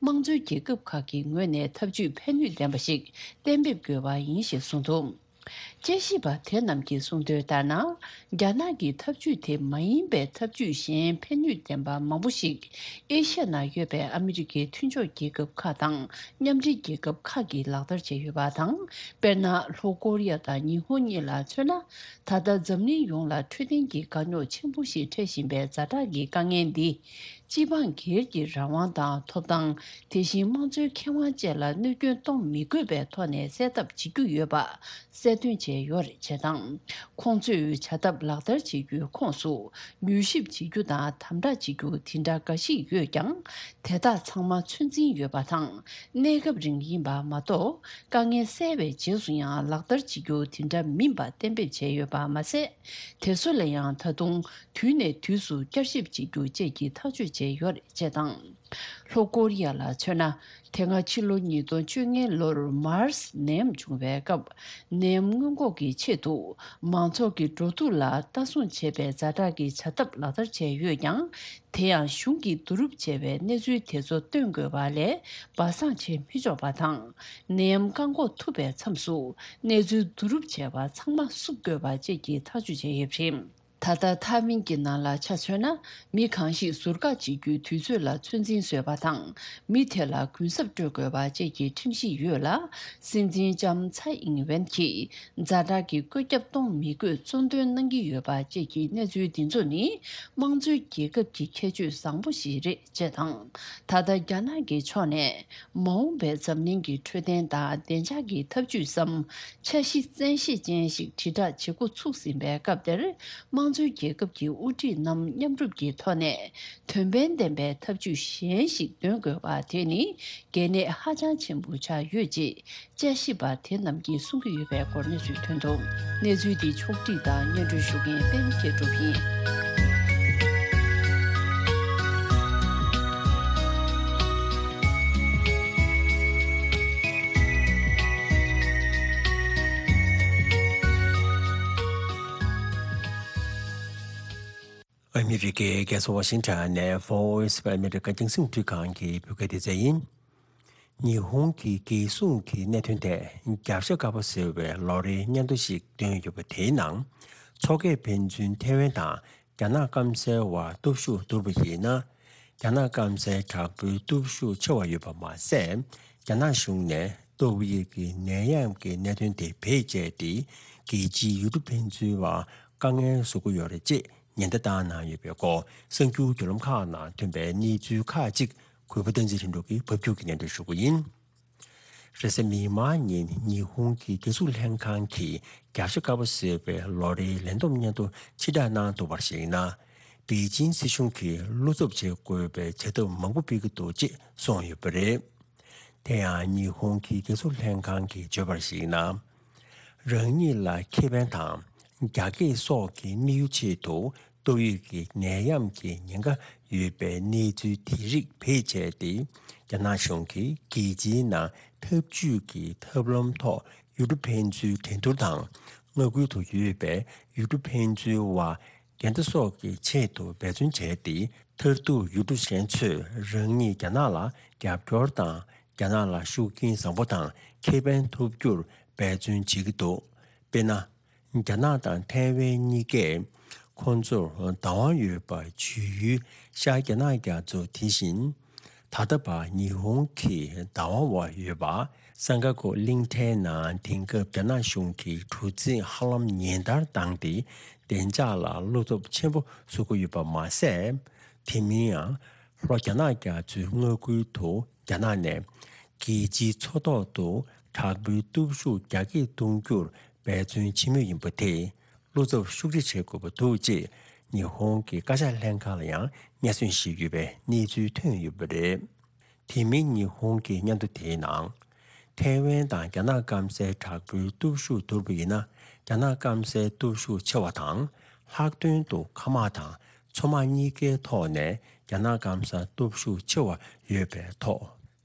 དམངས་གཙོའི་རྒྱལ་ཁབ་ཁག་གི་ངོས་ནས་ཐབས་ཇུས་ཕན་ནུས་ལྡན་པ་ཞིག་གཏན་འབེབས་དགོས་པ་ཡིན་ཞེས་གསུངས་འདུག་དཔྱད་ཞིབ་པ་དེ་རྣམས་ཀྱིས་གསུངས་དོན་ལྟར་ན། རྒྱ་ནག་གི་ཐབས་ཇུས་དེ་མ་ཡིན་པའི་ཐབས་ཇུས་གཞན་ཕན་ནུས་ལྡན་པ་མང་པོ་ཞིག་ཨེ་ཤ་ཡ་ནང་ཡོད་པའི་ཨ་མི་རི་ཀའི་མཐུན་ཕྱོགས་རྒྱལ་ཁབ་ཁག་དང་མཉམ་འབྲེལ་རྒྱལ་ཁབ་ཁག་གིས་ལག་བསྟར་བྱས་ཡོད་པ་དང་། དཔེར་ན། ལྷོ་ཀོ་རི་ཡ་དང་ཉི་ཧོང་གཉིས་ལ་མཚོན་ན། ད་ལྟ་འཛམ་གླིང་ཡོངས་ལ་འཕྲོད་བསྟེན་གྱི་དཀའ་རྙོག་ཆེན་པོ་ཞིག་འཕྲད་བཞིན་པའི་ཛ་དྲག་གི་དཀའ་ངལ་འདི། སྤྱི་འབངས་སྒེར་གྱི་རང་དབང་དང་ཐོབ་ཐང་། དེ་བཞིན་དམངས་གཙོའི་ཁེ་དབང་བཅས་ལ་གནོད་སྐྱོན་གཏོང་མི་དགོས་པའི་ཐོག་ནས་སེལ་ཐབས་བྱེད་རྒྱུ་ཡོད་པ་གསལ་སྟོན་བྱས་ཡོད་རེད། བྱས་ཙང་། ཁོང་ཚོས་བྱ་ཐབས་ལག་བསྟར་བྱེད་རྒྱུའི་ཁོངས་སུ། མྱུལ་ཞིབ་བྱེད་རྒྱུ་དང་དམ་དྲག་བྱེད་རྒྱུ་དེ་འདྲ་འགའ་ཞིག་ཡོད་ཀྱང་། དེ་དག་ཚང་མ་ཚོད་འཛིན་ཡོད་པ་དང་། གནས་སྐབས་རིང་ཡིན་པ་མ་གཏོགས། དཀའ་ངལ་སེལ་བའི་རྗེས་སུ་ཡང་ལག་བསྟར་བྱེད་རྒྱུ་དེ་འདྲ་མིན་པ་གཏན་འབེབས་བྱས་ཡོད་པ་མ་ཟད། དེ་ཚོ་ལ་ཡང་ད་དུང་དུས་ནས་དུས་སུ་བསྐྱར་ཞིབ་བྱེད་རྒྱུ་བཅས་ཀྱི་ཐག་གཅོད་བྱས་ཡོད་རེད། ཅེས་དང་། ལྷོ་ཀོ་རི་ཡ་ལ་མཚོན་ན། དེ་སྔ་ཕྱི་ལོ་ཉིས་སྟོང་བཅོ་ལྔའི་ལོར་མཱར་སི་ནད་ཡམས་བྱུང་བའི་སྐབས། ནད་ཡམས་སྔོན་འགོག་གི་ཆེད་དུ། མང་ཚོགས་ཀྱི་འགྲོ་འདུག་ལ་ལྟ་སྲུང་བྱེད་པའི་ཛ་དྲག་གི་བྱ་ཐབས་ལག་བསྟར་བྱས་ཡོད་ཀྱང་། དེ་ཡང་གཞུང་གིས་བསྡུ་རུབ་བྱས་པའི་གནས་ཚུལ་དེ་ཚོ་སྟོན་དགོས་པ་ལས་སྦ་གསང་བྱེད་མི་ཆོག་པ་དང་། ནད་ཡམས་བཀག་འགོག་ཐུབ་པའི་མཚམས་སུ་གནས་ཚུལ་བསྡུ་རུབ་བྱས་པ་ཚང་མ་བསུབ་དགོས་པ་བཅས་ཀྱི་ཐག་གཅོད་བྱས་ཡོད་པ་རེད། ད་ལྟ་ཐའེ་ཝན་གྱི་ནང་ལ་ཆ་མཚོན་ན། མི་གང་ཞིག་ཟུར་བཀག་བྱེད་རྒྱུའི་དུས་ཚོད་ལ་ཚོད་འཛིན་བཟོས་པ་དང་། མི་དེ་ལ་གུན་གསབ་སྤྲོད་དགོས་པ་བཅས་ཀྱི་ཁྲིམས་གཞི་ཡོད་ལ། སྲིད་འཛིན་ལྕམ་ཚའེ་ཨིང་ཝེན་གྱིས། ཛ་དྲག་གི་བཀོད་ཁྱབ་གཏོང་མི་དགོས་གཙོ་འདོན་གནང་གི་ཡོད་པ་བཅས་ཀྱི་གནས་ཚུལ་འདི་ཚོ་ནི། དམངས་གཙོའི་རྒྱལ་ཁབ་ཀྱི་ཁྱད་ཆོས་བཟང་པོ་ཞིག་རེད། ཅེས་དང་། ད་ལྟ་རྒྱ་ནག་གི་ཕྱོགས་ནས། མ་འོངས་པའི་འཛམ་གླིང་གི་འཕྲོད་བསྟེན་དང་བདེ་འཇགས་ཀྱི་ཐབས་ཇུས་སམ། འཆར་གཞི་བཙན་ཤེད་ཅན་ཞིག་དྲིལ་བསྒྲགས་བྱེད་འགོ་ཚུགས་ཟིན་པའི་སྐབས་དེར། དམངས་གཙོའི་རྒྱལ་ཁབ་ཀྱི་དབུ་ཁྲིད་རྣམས་མཉམ་རུབ་ཀྱི་ཐོག་ནས། དོན་ཕན་ལྡན་པའི་ཐབས་ཇུས་གཞན་ཞིག་འདོན་དགོས་པ་དེ་ནི། གལ་གནད་ཧ་ཅང་ཆེན་པོ་ཆགས་ཡོད་ཅེས། དཔྱད་ཞིབ་པ་དེ་རྣམས་ཀྱིས་གསུང་གི་ཡོད་པའི་སྐོར་གནས་ཚུལ་ཐོན་འདུག་གནས་ཚུལ་འདི་ཕྱོགས་སྒྲིག་དང་སྙན་སྒྲོན་ཞུ་མཁན་པད་མ་མཁས་གྲུབ་ཡིན། ཨ་མི་རི་ཀའི་རྒྱལ་ས་ཝ་ཤིང་ཊོན་ནས་Voice of America རྒྱང་སྲིང་རླུང་འཕྲིན་ཁང་གི་བོད་སྐད་སྡེ་ཚན་ཡིན། ཉི་ཧོང་གི་རྒྱལ་སྲུང་གི་གནད་དོན་ཐད་རྒྱབ་ཤ་དཀར་པོ་ཟེར་བའི་ལོ་རེའི་སྙན་ཐོ་ཞིག་བཏོན་ཡོད་པ་དེའི་ནང་། མཚོ་ཁ་ཕན་ཚུན་ཐེ་ཝན་དང་རྒྱ་ནག་སྐམ་སའི་བར་སྟོབས་ཤུགས་བསྡུར་བ་ཡིན་ན། རྒྱ་ནག་སྐམ་སའི་དྲག་པོའི་སྟོབས་ཤུགས་ཆེ་བ་ཡོད་པ་མ་ཟད། རྒྱ་ནག་གཞུང་ནས་ཏོག་དབྱིབས་ཀྱི་ནད་ཡམས་ཀྱི་གནད་དོན་དེ་བེད་སྤྱད་དེ། རྒྱལ་སྤྱིའི་ཡུལ་གྲུ་ཕན་ཚུན་བར་དཀའ་ངལ་བཟོ་གི་ཡོད་རེད་ཅེས་ཉེན་བརྡ་བཏང་གནང་ཡོད་པའི་སྐོར། གསར་འགྱུར་བརྒྱུད་ལམ་ཁག་ནང་ཐོན་པའི་གནས་ཚུལ་ཁག་ཅིག་གུས་པ་བསྟན་འཛིན་རིན་གྲོ་གིས་ཕབ་སྒྱུར་གྱིས་སྙན་སྒྲོན་ཞུ་གི་ཡིན། རེས་གཟའ་མིག་དམར་ཉིན་ཉི་ཧོང་གི་རྒྱལ་སྲུང་ལྷན་ཁང་གིས་རྒྱབ་ཤ་དཀར་པོ་ཟེར་བའི་ལོ་རེའི་ལས་བསྡོམས་སྙན་ཐོ་ཕྱིར་བསྒྲགས་གནང་འདུག་པར་གཞིགས་ན། པེ་ཅིང་སྲིད་གཞུང་གིས་བློ་འཚབ་བྱེད་དགོས་པའི་བྱ་ཐབས་མང་པོ་སྤེལ་གྱི་འདུག་ཅེས་གསུངས་ཡོད་པ་རེད། དེ་ཡང་ཉི་ཧོང་གི་རྒྱལ་སྲུང་ལྷན་ཁང་གིས་བརྗོད་པར་གཞིགས་ན། རང་ཉིད་ལ་ཁེ་ཕན་དང་རྒྱ་སྐྱེད་སོགས་ཀྱི་དམིགས་ཡུལ་ཆེད་དུ་ཏོག་དབྱིབས་ཀྱི་ནད་ཡམས་ཀྱི་ཉེན་ཁ་ཡོད་པའི་གནས་ཚུལ་དེ་རིགས་བེད་སྤྱད་དེ། རྒྱ་ནག་གཞུང་གིས་རྒྱལ་སྤྱིའི་ནང་འཐབ་ཇུས་ཀྱི་ཐབས་ལམ་ཐོག་ཡུལ་གྲུ་ཕན་ཚུན་འགྲན་བསྡུར་དང་། མངའ་ཁུལ་དུ་ཡོད་པའི་ཡུལ་གྲུ་ཕན་ཚུན་བར་འགལ་ཟླ་སོགས་ཀྱི་ཆེད་དུ་འབད་བརྩོན་བྱས་ཏེ། མཐར་ཐུག་ཡུལ་གྲུ་གཞན་ཚོས་རང་ཉིད་རྒྱ་ནག་ལ་རྒྱབ་སྐྱོར་དང་། རྒྱ་ནག་ལ་ཤུགས་རྐྱེན་བཟང་པོ་དང་ཁེ་ཕན་ཐོབ་རྒྱུར་འབད་བརྩོན་བྱེད་ཀྱི་འདུག་དཔེར་ན། རྒྱ་ནག་དང་ཐའེ་ཝན་གཉིས་ཀས་ཁོང་ཚོར་བདག་དབང་ཡོད་པ་བརྗོད་ཡུལ་ཤར་རྒྱ་ནག་རྒྱ་མཚོ་དེ་བཞིན། ད་ལྟ་བར་ཉི་ཧོང་གི་བདག་དབང་འོག་ཡོད་པ། སང་ཀ་ཀོ་གླིང་ཕྲན་ནང་དེང་སྐབས་རྒྱ་ནག་གཞུང་གིས་གྲུ་གཟིངས་ཧ་ལམ་ཉིན་ལྟར་བཏང་སྟེ། བདེ་འཇགས་ལ་བློ་སྟོབས་ཆེན་པོ་བཟོ་གི་ཡོད་པ་མ་ཟད། དེ་མིན་ཡང་། ལྷོ་རྒྱ་ནག་རྒྱ་མཚོའི་མངའ་ཁུལ་དུ་རྒྱ་ནག་ནས་རྒྱལ་སྤྱིའི་མཚོ་ཐོག་ཏུ་དྲག་པོའི་སྟོབས་ཤུགས་རྒྱ་སྐྱེད་གཏོང་རྒྱུར་འབད་བརྩོན་བྱེད་མུས་ཡིན་པ་དེས། བློ་འཚབ་ཤུགས་ཆེ་བྱེད་དགོས་པ་འདུག་ཅེས་ཉི་ཧོང་གི་བཀའ་ཤག་ལྷན་ཁང་ལ་ཡང་སྙན་སེང་ཞུས་ཡོད་པའི་གནས་ཚུལ་ཐོན་ཡོད་པ་རེད། དེ་མིན་ཉི་ཧོང་གི་སྙན་ཐོ་དེའི་ནང་། ཐའེ་ཝན་དང་རྒྱ་ནག་སྐམ་སའི་དྲག་པོའི་སྟོབས་ཤུགས་བསྡུར་བ་ཡིན་ན། རྒྱ་ནག་སྐམ་སའི་སྟོབས་ཤུགས་ཆེ་བ་དང་། ལྷག་དོན་དུ་མཁའ་དམག་དང་མཚོ་དམག་གཉིས་ཀའི་ཐོག་ནས་རྒྱ་ནག་སྐམ་ས་སྟོབས་ཤུགས་ཆེ་བ་ཡོད་པའི་ཐོག་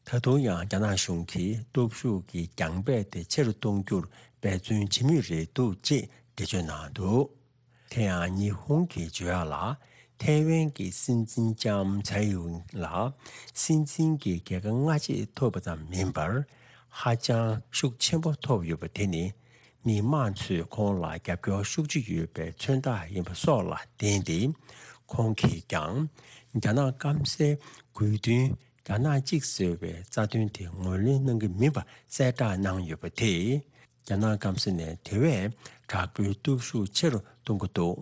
ད་དུང་ཡང་རྒྱ་ནག་གཞུང་གིས་སྟོབས་ཤུགས་ཀྱི་རྒྱང་སྤེལ་དེ་ཆེ་རུ་གཏོང་རྒྱུར་འབད་བརྩོན་བྱེད་མུས་རེད་འདུག་ཅེས་འགྲེལ་བརྗོད་གནང་འདུག་དེ་ཡང་ཉི་ཧོང་གིས་བརྗོད་ཡག་ལ། ཐའེ་ཝན་གྱི་སྲིད་འཛིན་ལྕམ་ཚའེ་ཡུང་ལ་སྲིད་འཛིན་གྱི་རྒྱལ་ཁ་སྔ་རྗེས་ཐོབ་པ་ཙམ་མིན་པར། ཧ་ཅང་ཤུགས་ཆེན་པོ་ཐོབ་ཡོད་པ་དེ་ནི། མི་མང་ཚོས་ཁོང་ལ་རྒྱབ་སྐྱོར་ཤུགས་ཆེ་ཡོད་པའི་མཚོན་རྟགས་ཡིན་པ་སོགས་ལ་བརྟེན་ཏེ། ཁོང་གིས་ཀྱང་རྒྱ་ནག་སྐམ་སའི་དགོས་འདུན། རྒྱ་ནག་གཅིག་ཟེར་བའི་རྩ་དོན་དེ་ངོས་ལེན་གནང་གི་མིན་པ་གསལ་བསྒྲགས་གནང་ཡོད་པ་དེས། རྒྱ་ནག་སྐམ་ས་ནས་དེ་བས་དྲག་པོའི་སྟོབས་ཤུགས་ཆེ་རུ་གཏོང་གི་འདུག་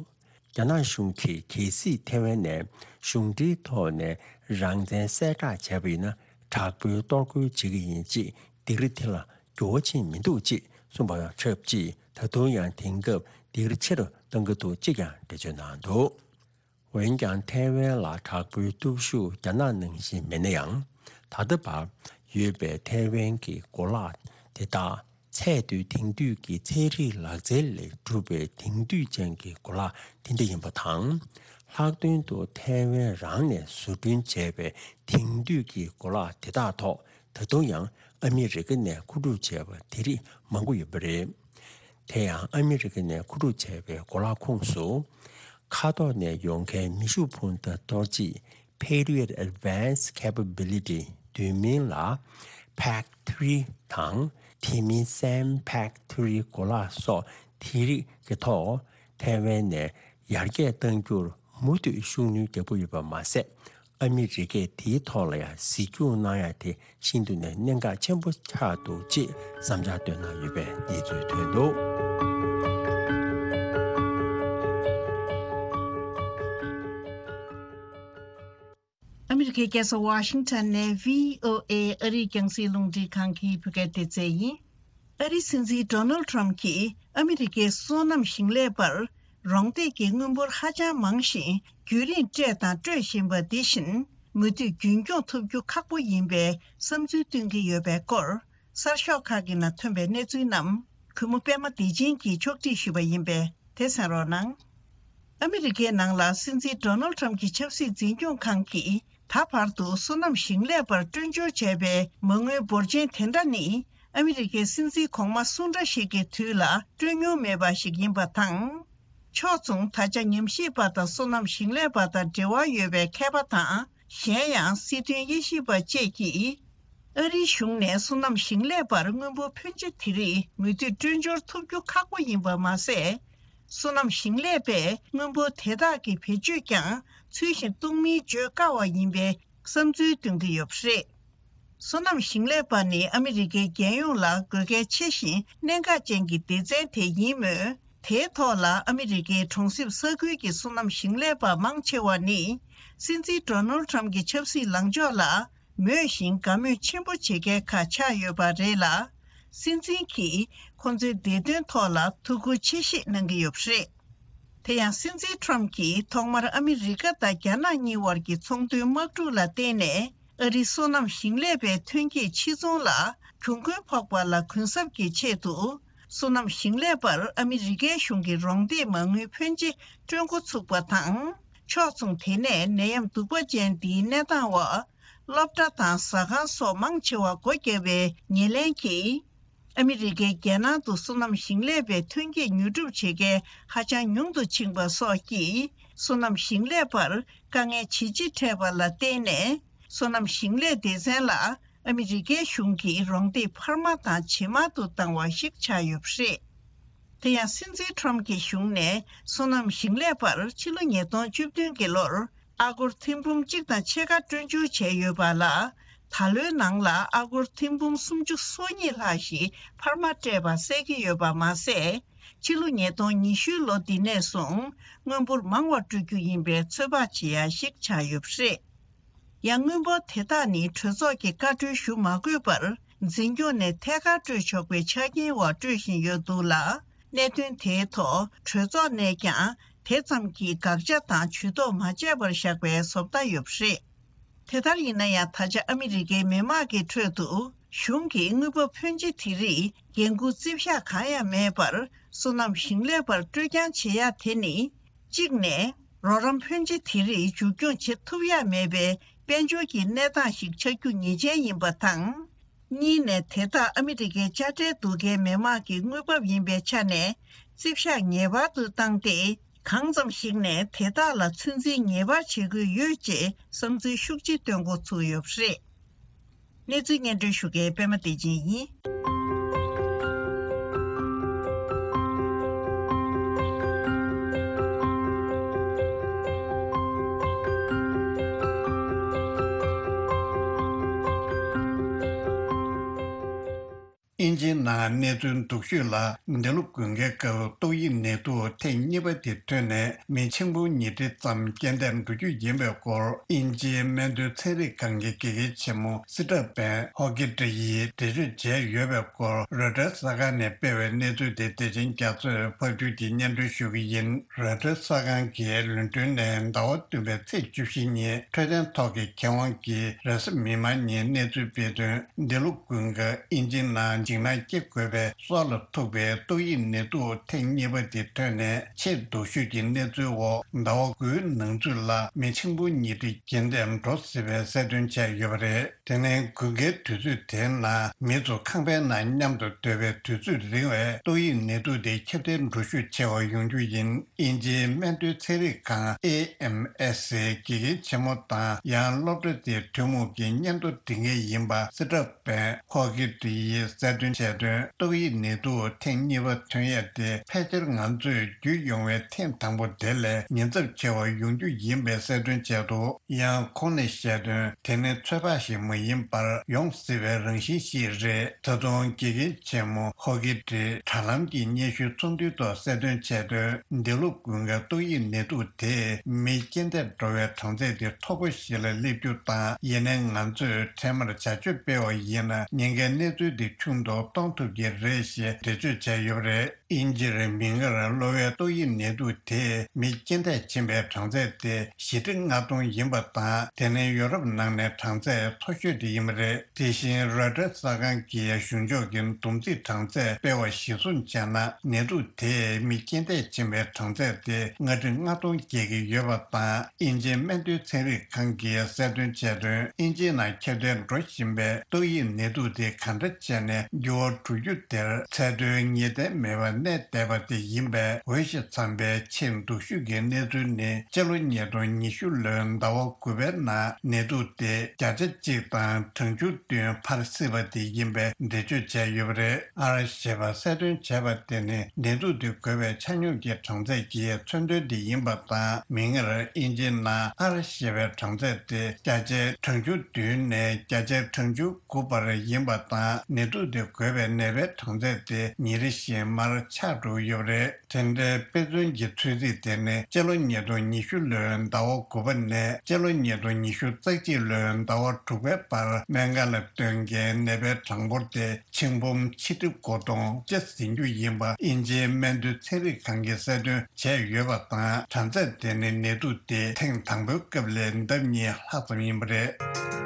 རྒྱ་ནག་གཞུང་གིས་གལ་སྲིད་ཐའེ་ཝན་ནས་གཞུང་འབྲེལ་ཐོག་ནས་རང་བཙན་གསལ་བསྒྲགས་བྱས་པ་ཡིན་ན། དྲག་པོའི་གཏོར་རྒོལ་བྱེད་ཀྱི་ཡིན་ཅེས་སྡིགས་ར་དེ་ལ་འགྱུར་བ་ཕྱིན་མི་འདུག་ཅེས་གསུངས་པ་དང་ཆབས་ཅིག་ད་དུང་ཡང་དེང་སྐབས་སྡིགས་ར་ཆེ་རུ་གཏོང་གི་འདུག་ཅེས་ཀྱང་འགྲེལ་བརྗོད་གནང་འདུག་འོན་ཀྱང་ཐའེ་ཝན་ལ་དྲག་པོའི་སྟོབས་ཤུགས་རྒྱ་ནག་ནང་བཞིན་མེད་ན་ཡང་། ད་ལྟ་བར་ཡོད་པའི་ཐའེ་ཝན་གྱི་གོ་ལག་དེ་དག་ཚད་མཐོའི་དེང་དུས་ཀྱི་ཚན་རིག་ལག་རྩལ་ལས་གྲུབ་པའི་དེང་དུས་ཅན་གྱི་གོ་ལག་དེ་འདྲ་ཡིན་པ་དང་། ལྷག་དོན་དུ་ཐའེ་ཝན་རང་ནས་བཟོ་སྐྲུན་བྱས་པའི་དེང་དུས་ཀྱི་གོ་ལག་དེ་དག་ཐོག་ད་དུང་ཡང་ཨ་མི་རི་ཀ་ནས་མཁོ་སྒྲུབ་བྱས་པ་དེ་རིགས་མང་པོ་ཡོད་པ་རེད། དེ་ཡང་ཨ་མི་རི་ཀ་ནས་མཁོ་སྒྲུབ་བྱས་པའི་གོ་ལག་ཁོངས་སུ། མཁའ་ཐོག་ནས་ཡོང་མཁན་མེ་ཤུགས་འཕུར་མདའ་གཏོར་བྱེད་Patriot Advanced Capability། བསྡུས་མིང་ལ་Pak three དང་། དེ་མིན་Sam Pak three གོ་ལག་སོགས་དེ་རིགས་ཀྱི་ཐོག་ཐའེ་ཝན་ནས་ཡར་རྒྱས་གཏང་རྒྱུར་མུ་མཐུད་ཤུགས་སྣོན་རྒྱག་གི་ཡོད་པ་མ་ཟད། ཨ་མི་རི་ཀས་དེའི་ཐོག་ལ་ཡང་གཟིགས་སྐྱོང་གནང་ཡ་དེ་ཤིན་ཏུ་ནས་གནད་འགག་ཆེན་པོ་ཆགས་འདུག་ཅེས་བསམ་འཆར་བཏོན་གནང་ཡོད་པའི་གནས་ཚུལ་ཐོན་འདུག་ཨ་མི་རི་ཀའི་རྒྱལ་ས་ཝ་ཤིང་ཊོན་ནས་བྷི་ཨོ་ཨེ་ཨ་རིའི་རྒྱང་སྲིང་རླུང་འཕྲིན་ཁང་གི་བོད་སྐད་སྡེ་ཚན་ཡིན། ཨ་རིའི་སྲིད་འཛིན་ཌོ་ནལ་ཌི་ཊརམ་ཕི་གྱིས་ཨ་མི་རི་ཀའི་སོ་ནམ་ཞིང་ལས་པར་རོང་འདེགས་ཀྱི་དངུལ་འབོར་ཧ་ཅང་མང་ཞིང་རྒྱུན་རིང་སྤྲད་དང་སྤྲོད་བཞིན་པ་འདི་བཞིན་མུ་མཐུད་རྒྱུན་འཁྱོངས་ཐུབ་རྒྱུ་ཁག་པོ་ཡིན་པའི་བསམ་ཚུལ་བཏོན་གྱི་ཡོད་པའི་སྐོར། གསར་ཤོག་ཁག་གི་ནང་ཐོན་པའི་གནས་ཚུལ་རྣམས་གུས་མོ་པད་མ་བདེ་ཆེན་གྱིས་ཕྱོགས་སྒྲིག་ཞུས་པ་ཡིན་པས་དེ་གསན་རོགས་གནང་། ཨ་མི་རི་ཀའི་ནང་ལ་སྲིད་འཛིན་ཌོ་ནལ་ཌི་ཊརམ་གྱི་ཆབ་སྲིད་འཛིན་སྐྱོང་ཁང་གིས་ད་བར་དུ་སོ་ནམ་ཞིང་ལས་པར་སྤྲོད་འབྱོར་བྱས་པའི་མ་དངུལ་འབོར་ཆེན་དེ་འདྲ་ནི་ཨ་མི་རི་ཀའི་སྲིད་འཛིན་གོང་མ་སུ་འདྲ་ཞིག་གི་དུས་ལ་སྤྲོད་མྱོང་མེད་པ་ཞིག་ཡིན་པ་དང་། ཕྱོགས་མཚུངས། ད་ཆ་ཉམས་ཞིབ་པ་དང་སོ་ནམ་ཞིང་ལས་པ་དང་འབྲེལ་བ་ཡོད་པའི་མཁས་པ་དང་། གཞན་ཡང་སྲིད་དོན་དབྱེ་ཞིབ་པ་བཅས་ཀྱིས། ཨ་རིའི་གཞུང་ནས་སོ་ནམ་ཞིང་ལས་པར་སྔོན་པོ་ཕོན་ཆེ་དེ་རིགས་མུ་མཐུད་སྤྲོད་འབྱོར་ཐུབ་རྒྱུ་ཁག་པོ་ཡིན་པ་མ་ཟད། སོ་ནམ་ཞིང་ལས་པས་སྔོན་པོ་དེ་དག་གི་བེད་སྤྱོད་ཀྱང་ཚུལ་བཞིན་གཏོང་མིན་བརྗོད་དཀའ་བ་ཡིན་པའི་བསམ་ཚུལ་འདོན་གྱི་ཡོད་པ་རེད། སོ་ནམ་ཞིང་ལས་པ་ནི་ཨ་མི་རི་ཀའི་རྒྱལ་ཡོངས་ལ་དགོས་གལ་ཆེ་ཞིང་གནད་འགག་ཅན་གྱི་སྡེ་ཚན་དེ་ཡིན་མོད། དེའི་ཐོག་ལ་ཨ་མི་རི་ཀའི་གྲོང་གསེབ་ས་ཁུལ་གྱི་སོ་ནམ་ཞིང་ལས་པ་མང་ཆེ་བ་ནི། སྲིད་འཛིན་ཌོ་ནལ་ཌི་ཊརམ་ཕ་གྱི་ཆབ་སྲིད་ལངས་ཕྱོགས་ལ་མོས་ཤིང་དགའ་མོས་ཆེན་པོ་བྱེད་མཁན་ཁག་ཆགས་ཡོད་པ་རེད་ལ། སྲིད་འཛིན་གྱིས་ཁོང་ཚོའི་བདེ་དོན་ཐོག་ལ་ཐུགས་ཁུར་ཆེ་བཞེས་གནང་གི་ཡོད་པ་རེད། དེ་ཡང་སྲིད་འཛིན་ཊརམ་ཕ་གྱིས་ཐོག་མར་ཨ་མི་རི་ཀ་དང་རྒྱ་ནག་གཉིས་བར་གྱི་ཚོང་དོན་དམག་འཁྲུག་ལ་བརྟེན་ནས། ཨ་རིའི་སོ་ནམ་ཞིང་ལས་པའི་ཐོན་སྐྱེད་ཕྱིར་ཚོང་ལ་གྱོང་གུན་ཕོག་པ་ལ་གུན་གསབ་ཀྱི་ཆེད་དུ། སོ་ནམ་ཞིང་ལས་པར་ཨ་མི་རི་ཀའི་གཞུང་གིས་རོགས་འདེགས་མ་དངུལ་ཕོན་ཆེ་སྤྲོད་འགོ་ཚུགས་པ་དང་། ཕྱོགས་མཚུངས། དེ་ནས་ནད་ཡམས་གདུག་པ་ཅན་འདིའི་གནས་སྟངས་འོག་སློབ་གྲྭ་དང་ཟ་ཁང་སོགས་མང་ཆེ་བ་སྒོ་བརྒྱབ་པའི་ཉེར་ལེན་གྱིས། ཨ་མི་རི་ཀའི་རྒྱལ་ནང་དུ་སོ་ནམ་ཞིང་ལས་པའི་ཐོན་སྐྱེད་ཉོ་སྒྲུབ་བྱེད་མཁན་ཧ་ཅང་ཉུང་དུ་ཕྱིན་པ་སོགས་ཀྱིས། སོ་ནམ་ཞིང་ལས་པར་དཀའ་ངལ་ཇེ་ཆེ་འཕྲད་པ་ལ་བརྟེན་ནས། སོ་ནམ་ཞིང་ལས་སྡེ་ཚན་ལ་ཨ་མི་རི་ཀའི་གཞུང་གིས་རོགས་འདེགས་འཕར་མ་དང་ཇེ་དམའ་དུ་བཏང་བ་ཞིག་ཆགས་ཡོད་པ་རེད། དེ་ཡང་སྲིད་འཛིན་ཊརམ་ཕ་གྱི་གཞུང་ནས་སོ་ནམ་ཞིང་ལས་པར་ཕྱི་ལོ་ཉིས་སྟོང་བཅུ་བདུན་གྱི་ལོར་ཨ་སྒོར་ཐེར་འབུམ་གཅིག་དང་ཕྱེད་ཀ་སྤྲོད་འཇུག་བྱས་ཡོད་པ་ལ། ད་ལོའི་ནང་ལ་ཨ་སྒོར་ཐེར་འབུམ་སུམ་ཅུ་སོ་གཉིས་ལྷག་ཞིག་འཕར་མ་སྤྲད་པ་གསལ་གྱི་ཡོད་པ་མ་ཟད། ཕྱི་ལོ་ཉིས་སྟོང་ཉི་ཤུའི་ལོ་འདི་ནས་བཟུང་། མངོན་པོར་མང་བ་སྤྲོད་རྒྱུ་ཡིན་པའི་ཚོད་དཔག་བྱེད་ཡ་ཞིག་ཆགས་ཡོད་པ་རེད། ཡང་། དངུལ་འབོར་དེ་དག་ནི་གྲོས་ཚོགས་ཀྱིས་བཀའ་འཁྲོལ་ཞུ་མ་དགོས་པར། འཛིན་སྐྱོང་ནས་ཐད་ཀར་སྤྲོད་ཆོག་པའི་ཆ་རྐྱེན་འོག་སྤྲོད་བཞིན་ཡོད་འདུག་ལ། གནད་དོན་དེའི་ཐོག་གྲོས་ཚོགས་ནས་ཀྱང་དེ་ཙམ་གྱིས་དགག་བྱ་དང་ཇུས་གཏོགས་མ་བྱས་པར་བཞག་པའི་བཟོ་ལྟ་ཡོད་པ་རེད། དེ་ལྟར་ཡིན་ན་ཡང་། ད་ཆ་ཨ་མི་རི་ཀའི་མི་དམངས་ཀྱི་ཁྲོད་དུ་གཞུང་གིས་དངུལ་འབབ་ཕོན་ཆེ་དེ་རིགས་འགན་འཁུར་རྩིས་བཞག་གང་ཡང་མེད་པར། སོ་ནམ་ཞིང་ལས་པར་སྤྲོད་རྐྱང་བྱེད་ཡ་དེ་ནི། གཅིག་ནས། རོགས་རམ་ཕོན་ཆེ་དེ་རིགས་མཇུག་སྐྱོང་བྱེད་ཐུབ་ཡ་མེད་པའི་དཔལ་འབྱོར་གྱི་གནས་སྟངས་ཤིག་ཆགས་རྒྱུ་ངེས་ཅན་ཡིན་པ་དང་། གཉིས་ནས། དེ་དག་ཨ་མི་རི་ཀའི་དཔྱ་ཁྲལ་བསྡུ་མཁན་མི་དམངས་ཀྱི་དངུལ་འབབ་ཡིན་པའི་ཆ་ནས། རྩིས་བཞག་ངེས་པར་དུ་བཏང་སྟེ། གང་ཙམ་ཞིག་ནས་དེ་དག་ལ་ཚོད་འཛིན་ངེས་པར་བྱེད་དགོས་ཡོད་ཅེས་བསམ་ཚུལ་ཤུགས་ཆེ་བཏོན་འགོ་ཚུགས་ཡོད་པ་རེད། གནས་ཚུལ་སྙན་སྒྲོན་ཞུ་མཁན་པད་མ་བདེ་ཆེན་ཡིན། དབྱིན་ཇིའི་ནང་གནས་ཚུལ་སྡུག་ཤོས་ལ། འདི་ལོ་དགུན་ཁའི་སྐབས་ཏོག་དབྱིབས་ནད་དུག་ཐེངས་གཉིས་པ་དེ་ཐོན་ནས་མི་ཆིག་སྟོང་ཉིས་བརྒྱ་ཙམ་རྐྱེན་འདས་འགྲོ་རྒྱུ་ཡིན་པའི་སྐོར། དབྱིན་ཇིའི་སྨན་དོན་ཚན་རིག་ཁང་གི་དགེ་རྒན་ཆེན་མོ་སི་ཏྲ་བན་ཧོ་ཀི་ཏྲི་ཡིས་འགྲེལ་བརྗོད་བྱས་ཡོད་པའི་སྐོར། རོའི་ཊར་གསར་ཁང་ནས་སྤེལ་བའི་གནས་ཚུལ་དེ་བདེ་ཆེན་རྒྱ་མཚོས་ཕབ་སྒྱུར་གྱིས་སྙན་སྒྲོན་ཞུ་གི་ཡིན། རོའི་ཊར་གསར་ཁང་གིས་ལོན་ཀྲོན་ནས་ཟླ་བ་བདུན་པའི་ཚེས་བཅུ་བཞི་ཉིན་འཕྲོད་བསྟེན་ཐོག་གི་མཁས་དབང་གིས་རེས་གཟའ་མིག་དམར་ཉིན་གནས་ཚུལ་སྤེལ་དོན། འདི་ལོ་དགུན་ཁ་དབྱིན་ཇིའི་ནང་འཇིགས་སྣང་སྐྱེ་དགོས་པའི་སྲོག་ལ་ཐུག་པའི་ཏོག་དབྱིབས་ནད་དུག་ཐེངས་གཉིས་པ་དེ་ཐོན་ནས་ཆེས་སྡུག་ཤོས་ཀྱི་གནས་ཚུལ་འོག་ཟླ་བ་དགུའི་ནང་ཚུད་ལ་མི་ཆིག་སྟོང་ཉིས་བརྒྱ་རྐྱེན་འདས་འགྲོ་སྲིད་པའི་གསལ་སྟོན་བྱས་ཡོད་པ་རེད། དེ་ནས་དགུན་ཁའི་དུས་ཚོད་དེའི་ནང་མི་ཚོ་ཁང་པའི་ནང་མཉམ་དུ་སྡོད་པའི་དུས་ཚོད་རིང་བས་ཏོག་དབྱིབས་ནད་དུག་དེ་ཁྱབ་གདལ་འགྲོ་ཤུགས་ཆེ་བ་ཡོང་རྒྱུ་ཡིན། དབྱིན་ཇིའི་སྨན་དོན་ཚན་རིག་ཁང་ཨེ་ཨེམ་ཨེས་སིའི་དགེ་རྒན་ཆེན་མོ་དང་ཡང་སློབ་གྲྭ་དེའི་ཐུན་མོང་གི་སྙན་ཐོ་འབྲི་མཁན་ཡིན་པ་སི་ཏྲ་བན་ཧོ་ཀི་ཏྲི་ཡིས་གསལ་སྟོན་བྱས་དོན། ཏོག་དབྱིབས་ནད་དུག་ཐེངས་གཉིས་པ་ཐོན་ཡས་དེ་ཕལ་ཆེར་ང་ཚོས་བརྒྱུད་ཡོང་བའི་ཐེངས་དང་པོ་དེ་ལས་ཉེན་ཚབས་ཆེ་བ་ཡོང་རྒྱུ་ཡིན་པའི་གསལ་སྟོན་བྱས་འདུག་ཡང་ཁོང་ནས་བཤད་དོན། དེ་ནི་ཚོད་དཔག་ཞིག་མ་ཡིན་པར་ཡོང་སྲིད་པའི་རང་བཞིན་ཞིག་རེད། ད་དུང་དགེ་རྒན་ཆེན་མོ་ཧོ་ཀི་ཏྲི་དྲ་ལམ་གྱི་སྙན་ཞུའི་ཚོགས་འདུའི་ཐོག་གསལ་སྟོན་བྱས་དོན། འདི་ལོ་དགུན་ཁའི་ཏོག་དབྱིབས་ནད་དུག་དེས་མི་རྐྱེན་འདས་འགྲོ་བའི་གྲངས་ཚད་དེ་མཐོ་པོ་ཞིག་ལ་སླེབས་རྒྱུ་དང་། ཡིན་ནའི་ང་ཚོས་འཕྲལ་མར་བྱ་སྤྱོད་སྤེལ་བ་ཡིན་ན་ཉེན་ཁའི་གནས་ཚུལ་འདི་ཆུང་དུ་གཏོང་ཐུབ་ཀྱི་རེད་ཞེས་འགྲེལ་བརྗོད་བྱས་ཡོད་པ་རེད། དབྱིན་ཇིར་མི་འགར་གློ་བའི་ཏོག་དབྱིབས་ནད་དུག་དེས་མི་རྐྱེན་འདས་ཕྱིན་པའི་གྲངས་ཚད་དེ་བཞི་ཁྲི་ལྔ་སྟོང་ཡིན་པ་དང་། དེ་ནི་ཡོ་རོབ་ནང་ནས་གྲངས་ཚད་མཐོ་ཤོས་དེ་ཡིན་པ་རེད། དེ་བཞིན་རོའི་ཊར་གསར་ཁང་གིས་གཞུང་ཕྱོགས་ཀྱི་བསྡོམས་རྩིས་གྲངས་ཚད་སྤེལ་བ་གཞིར་བཟུང་བྱས་ན། ནད་དུག་དེས་མི་རྐྱེན་འདས་ཕྱིན་པའི་གྲངས་ཚད་དེ་ལྔ་ཁྲི་ལྔ་སྟོང་བརྒལ་གྱི་ཡོད་པ་དང་། དབྱིན་ཇིའི་སྨན་དོན་ཚན་རིག་ཁང་གིས་གསལ་སྟོན་བྱས་དོན། དབྱིན་ཇིའི་ནང་ཁྱབ་གདལ་འགྲོ་བཞིན་པའི་ཏོག་དབྱིབས་ནད་དུག་དེ་ག་འདྲ་བྱས་ནས་འགྱུར་བ་འགྲོ་རྒྱུ་དེར་ཚད་མཐོའི་ངེས་གཏན་མེད་པ་ གནས་བསྡད་པ་དེ་ཡིན་པས། འོས་ཤོག་འཚམ་པའི་ཆེས་སྡུག་ཤོས་ཀྱི་གནས་ཚུལ་ནི། སྤྱི་ལོ་ཉིས་སྟོང་ཉི་ཤུ་ལོའི་ཟླ་བ་དགུ་པའི་ནང་ནད་དུག་དེ་བརྒྱ་ཆ་གཅིག་དང་གྲངས་ཆུང་བདུན་འཕར་སྲིད་པ་དེ་ཡིན་པའི་འགྲེལ་བརྗོད་བྱས་ཡོད་པ་རེད། ཨར་ཞེས་པ་གསལ་སྟོན་བྱས་པ་དེ་ནི་ནད་དུག་དེ་འགོས་པའི་ཆ་སྙོམས་ཀྱི་གྲངས་ཚད་ཀྱི་མཚོན་དོན་དེ་ཡིན་པ་དང་། མིག་སྔར་དབྱིན་ཇིའི་ནང་ཨར་ཞེས་པའི་གྲངས་ཚད་དེ་བརྒྱ་ཆའི་གྲངས་ཆུང་བདུན་ནས་བརྒྱ་ཆའི་གྲངས་ཆུང་དགུ་བར་ཡིན་པ་དང་། ནད་དུག་དེ་འགོས་པའི་ནད་པའི་གྲངས་ཚད་དེ་ཉིན་རེ་བཞིན་མར་ཆག་འགྲོ་ཡོད་པ་རེད། དེ་འདྲའི་དཔེ་མཚོན་གྱི་ཚོད་རྩིས་དེ་ནི་སྤྱི་ལོ་ཉིས་སྟོང་ཉི་ཤུ་ལོའི་ཟླ་བ་དགུ་པ་ནས་སྤྱི་ལོ་ཉིས་སྟོང་ཉི་ཤུ་རྩ་གཅིག་ལོའི་ཟླ་བ་དྲུག་པའི་བར་སྨན་ཁང་ལ་ཐོན་མཁན་ནད་པའི་གྲངས་འབོར་དེ་ཆིག་འབུམ་ཆིག་ཁྲི་དགུ་སྟོང་བརྒྱ་ཟིན་རྒྱུ་ཡིན་པ་དབྱིན་ཇིའི་སྨན་དོན་ཚན་རིག་ཁང་གིས་གསལ་སྟོན་བྱས་ཡོད་པ་དང་། གྲངས་ཚད་དེ་ནི་ནད་དུག་དེ་ཐེངས་དང་པོའི་སྐབས་ལས་ལྡབ་གཉིས་ལྷག་ཙམ་ཡིན་པ་རེད།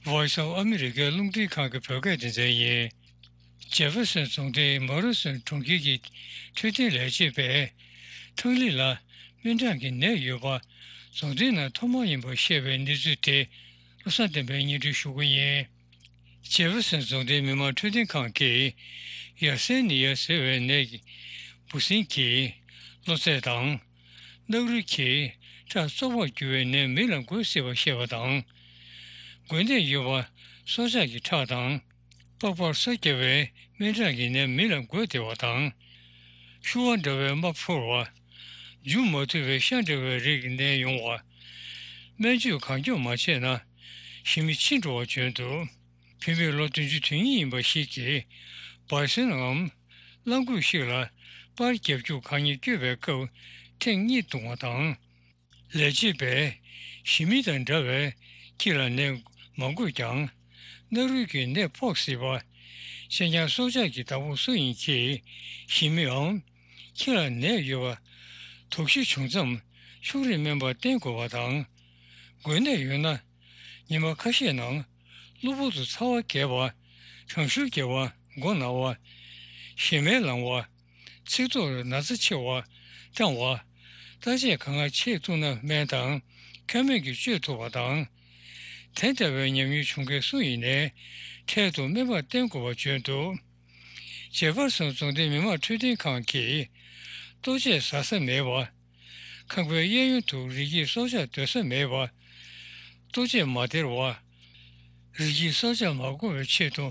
Voice of America རླུང་འཕྲིན་ཁང་གི་བོད་སྐད་སྡེ་ཚན་ཡིན། ཇེ་ཧྥེར་སོན་རྫོང་སྡེའི་མ་རུ་སོན་གྲོང་ཁྱེར་གྱི་འཕྲོད་བསྟེན་ལས་བྱེད་པས་ཐང་ལི་ལ་སྨན་ཁྲག་གི་ནད་ཡོད་པ་རྫོང་སྡེའི་ནང་ཐོག་མ་ཡིན་པར་བཤད་པའི་གནས་ཚུལ་དེ་བློ་བཟང་བསྟན་པས་སྙན་སྒྲོན་ཞུ་གི་ཡིན། ཇེ་ཧྥེར་སོན་རྫོང་སྡེའི་མི་དམངས་འཕྲོད་བསྟེན་ཁང་གིས་ཡར་སེ་ནི་ཡ་ཟེར་བའི་ནད་ཀྱི་འབུ་སྲིན་གྱི་གློ་ཚད་དང་། རྣག་རུལ་གྱིས་ཁྲག་བཙོག་པར་འགྱུར་བའི་ནད་མི་ལ་འགོས་སྲིད་པ་བཤད་པ་དང་། འགོས་ནད་ཡོད་པ་སྲོག་ཆགས་ཀྱི་ཁྲག་དང་། པགས་པར་སོ་བརྒྱབ་པའི་སྨན་ཁྲག་གི་ནད་མི་ལ་འགོས་བདེ་བ་དང་། ཤུ་བ་འདྲ་བའི་རྨ་ཕོར་བ། འཇུ་མ་ཐུབ་པའི་ཤ་འདྲ་བའི་རིགས་ནད་ཡོང་བ། སྨན་བཅོས་གང་མགྱོགས་མ་བྱས་ན་ཞི་མི་ཕྱིན་འགྲོ་བ་བྱོན་འདུག་བུད་མེད་ལོ་བདུན་ཅུ་དོན་གཉིས་ཡིན་པ་ཞིག་གིས་བར་སེལ་ངམ་གླང་གོས་ཤིག་ལ་པར་རྒྱབ་རྒྱུག་གང་ཉིད་བསྐྱོད་པའི་སྐབས་ཐེངས་གཉིས་བརྡུངས་པ་དང་། ལས་བྱེད་པས་ཞི་མི་དང་འདྲ་བའི་ཁྱི་ལ་ནད་མ་འགོས་ཀྱང་རྣ་རུལ་གྱི་ནད་ཕོག་སྲིད་པ། གཅེན་ཉར་སྲོག་ཆགས་ཀྱི་བདག་པོ་སུ་ཡིན་གྱིས་ཞི་མིའམ་ཁྱི་ལ་ནད་ཡོད་པ་དོགས་གཞི་བྱུང་མཚམས་ཕྱུགས་རིགས་སྨན་པར་བསྟེན་དགོས་པ་དང་། འགོས་ནད་ཡོད་ན་ཉི་མ་ཁ་ཤས་ནང་གློ་བུར་དུ་ཚ་བ་རྒྱས་པ། གྲང་ཤུར་རྒྱས་པ། མགོ་ན་བ། ཞེ་མེར་ལངས་པ། ཚིགས་ཐོར་ན་ཚ་ཆེ་བ། སྐྲང་བ། བརྟག་དཔྱད་གང་ག་བྱེད་ཐུབ་ན་སྨན་དང་ཁ་སྨན་གྱིས་བཅོས་ཐུབ་པ་དང་། དེ་ལྟ་བུའི་ཉམས་མྱོང་བྱུང་མཁན་སུ་ཡིན་ནའི་འཕྲལ་དུ་སྨན་པར་བསྟེན་དགོས་པ་བརྗོད་འདུག་ཇེ་ཧྥེར་སོན་རྫོང་སྡེའི་མི་དམངས་འཕྲོད་བསྟེན་ཁང་གིས་ལྟོ་ཆས་ཟ་ས་མེད་པ། ཁང་པའི་གཡས་གཡོན་དུ་རི་སྐྱེས་སྲོག་ཆགས་སྡོད་ས་མེད་པ། ལྟོ་ཆས་མ་སྟེར་བ། རི་སྐྱེས་སྲོག་ཆགས་མ་འགོ་བའི་ཆེད་དུ་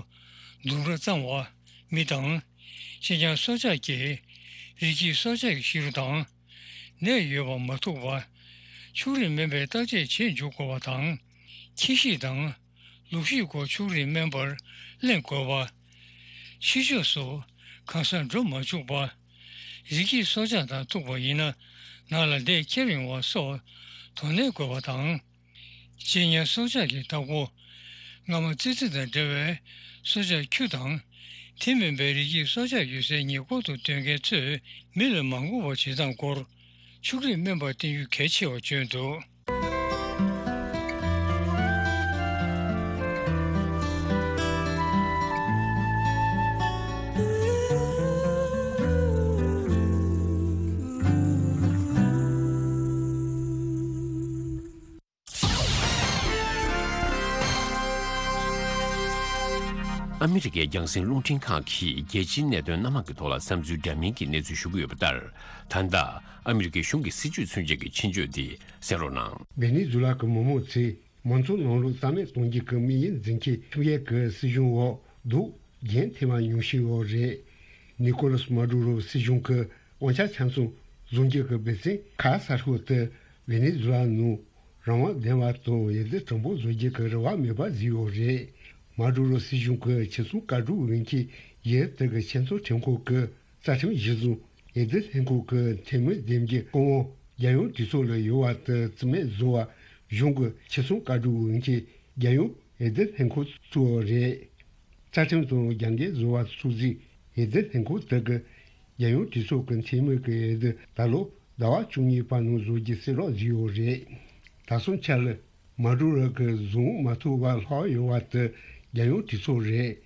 ལྡུམ་ར་གཙང་བ། མི་དང་གཅེན་ཉར་སྲོག་ཆགས་ཀྱིས་རི་སྐྱེས་སྲོག་ཆགས་ཀྱི་ཤི་རུ་དང་ནད་ཡོད་པ་མ་ཐུག་པ། ཕྱུགས་རིགས་སྨན་པས་བརྟག་དཔྱད་བྱེད་འཇུག་དགོས་པ་དང་། ཁྱི་ཤི་དང་ལུག་ཤི་སྐོར་ཕྱུགས་རིགས་སྨན་པར་གླེང་དགོས་པ། ཕྱི་ཕྱོགས་སུ་གང་སར་འགྲོ་མ་བཅུག་པ། རི་སྐྱེས་སྲོག་ཆགས་དང་ཐུག་པ་ཡིན་ན་ནང་ལ་འདས་ཁྱེར་ཡོང་བ་སོགས་དོ་ནན་དགོས་པ་དང་། གཅེན་ཉར་སྲོག་ཆགས་ཀྱི་བདག་པོ་རྔ་མ་ཙི་ཙི་དང་འདྲ་བའི་སྲོག་ཆགས་ཁྱུ་དང་། དེ་མིན་པའི་རི་སྐྱེས་སྲོག་ཆགས་ཡོད་སའི་ཉེ་འཁོར་དུ་སྡོད་མཁན་ཚོས་མི་ལ་མ་འགོ་བའི་བྱེད་སྟངས་སྐོར་ཕྱུགས་རིགས་སྨན་པར་བསྟེན་རྒྱུ་གལ་ཆེ་བར་བརྗོད་འདུག་ཨ་མི་རི་ཀའི་རྒྱང་སྲིང་རླུང་འཕྲིན་ཁང་གིས་རྒྱལ་སྤྱིའི་གནད་དོན་སྣ་མང་གི་ཐོག་ལ་བསམ་ཚུལ་འདྲ་མིན་གྱི་གནས་ཚུལ་ཞུ་གི་ཡོད་པ་ལྟར། ད་ལྟ་ཨ་མི་རི་ཀའི་གཞུང་གི་སྲིད་བྱུས་མཚོན་བྱེད་ཀྱི་ཆེད་བརྗོད་འདི་གསན་རོགས་གནང་། ཝེ་ནེ་ཛུ་ལ་གི་མི་མང་ཚོས་མང་གཙོའི་ནང་ལོགས་རྩ་མེད་གཏོང་རྒྱུ་གི་དམིགས་ཡུལ་འཛིན་མཁན་ཁྲིམས་འགལ་གྱི་སྲིད་གཞུང་འོག་འདུག་རྒྱུན་ཐེངས་མ་ཉུང་ཤོས་ཡོད་རེད། ནི་ཀོ་ལ་སི་མ་ཌུ་རོ་སྲིད་གཞུང་གི་དབང་ཆ་ཆ་ཚང་བཟུང་རྒྱུ་གི་འབད་བརྩོན་ཁ་གསལ་ཤོས་དེ་ཝེ་ནེ་ཛུ་ལ་ནང་རང་དབང་ལྡན་པ་དང་འོས་བསྡུ་དྲང་པོ་བཟོ་རྒྱུ་གི་རེ་བ་མེད་པ་བཟོས་ཡོད་རེད། མ་ཌུ་རོ་སྲིད་གཞུང་གི་ཆེད་སྲུང་བཀའ་སྒྲུབ་འོས་འཁྱེར་ཡུལ་དེ་གི་ཆེས་མཐོའི་ཁྲིམས་ཁང་གི་རྩ་ཁྲིམས་གཞིར་བཟུང་འོས་བསྡུ་ལྷན་ཁང་གི་འཐུས་མི་འདེམས་རྒྱུའི་བཀའ་དབང་རྒྱལ་ཡོངས་གྲོས་ཚོགས་ལ་ཡོད་པ་དེ་རྩིས་མེད་བཟོ་བར་གཞུང་གི་ཆེད་སྲུང་བཀའ་སྒྲུབ་འོས་འཁྱེར་རྒྱལ་ཡོངས་འོས་བསྡུ་ལྷན་ཁང་བཙུགས་པ་རེད། རྩ་ཁྲིམས་དང་རྒྱབ་འགལ་བཟོ་བ་སོགས་ཀྱིས་འོས་བསྡུ་ལྷན་ཁང་དེ་གི་རྒྱལ་ཡོངས་གྲོས་ཚོགས་ཀྱི་འཐུས་མི་གི་འོས་བསྡུ་ད་ལོ་ཟླ་བ་བཅུ་གཉིས་པ་ནང་བཟོ་རྒྱུ་གསལ་བསྒྲགས་བཟོས་ཡོད་རེད། ད་སོང་ཆ་ལ་མ་ཌུ་རོ་གི་བཟུང་མ་ཐུབ་པར་ལྷག་ཡོད་པ་དེ་རྒྱལ་ཡོངས་གྲོས་ཚོགས་རེད།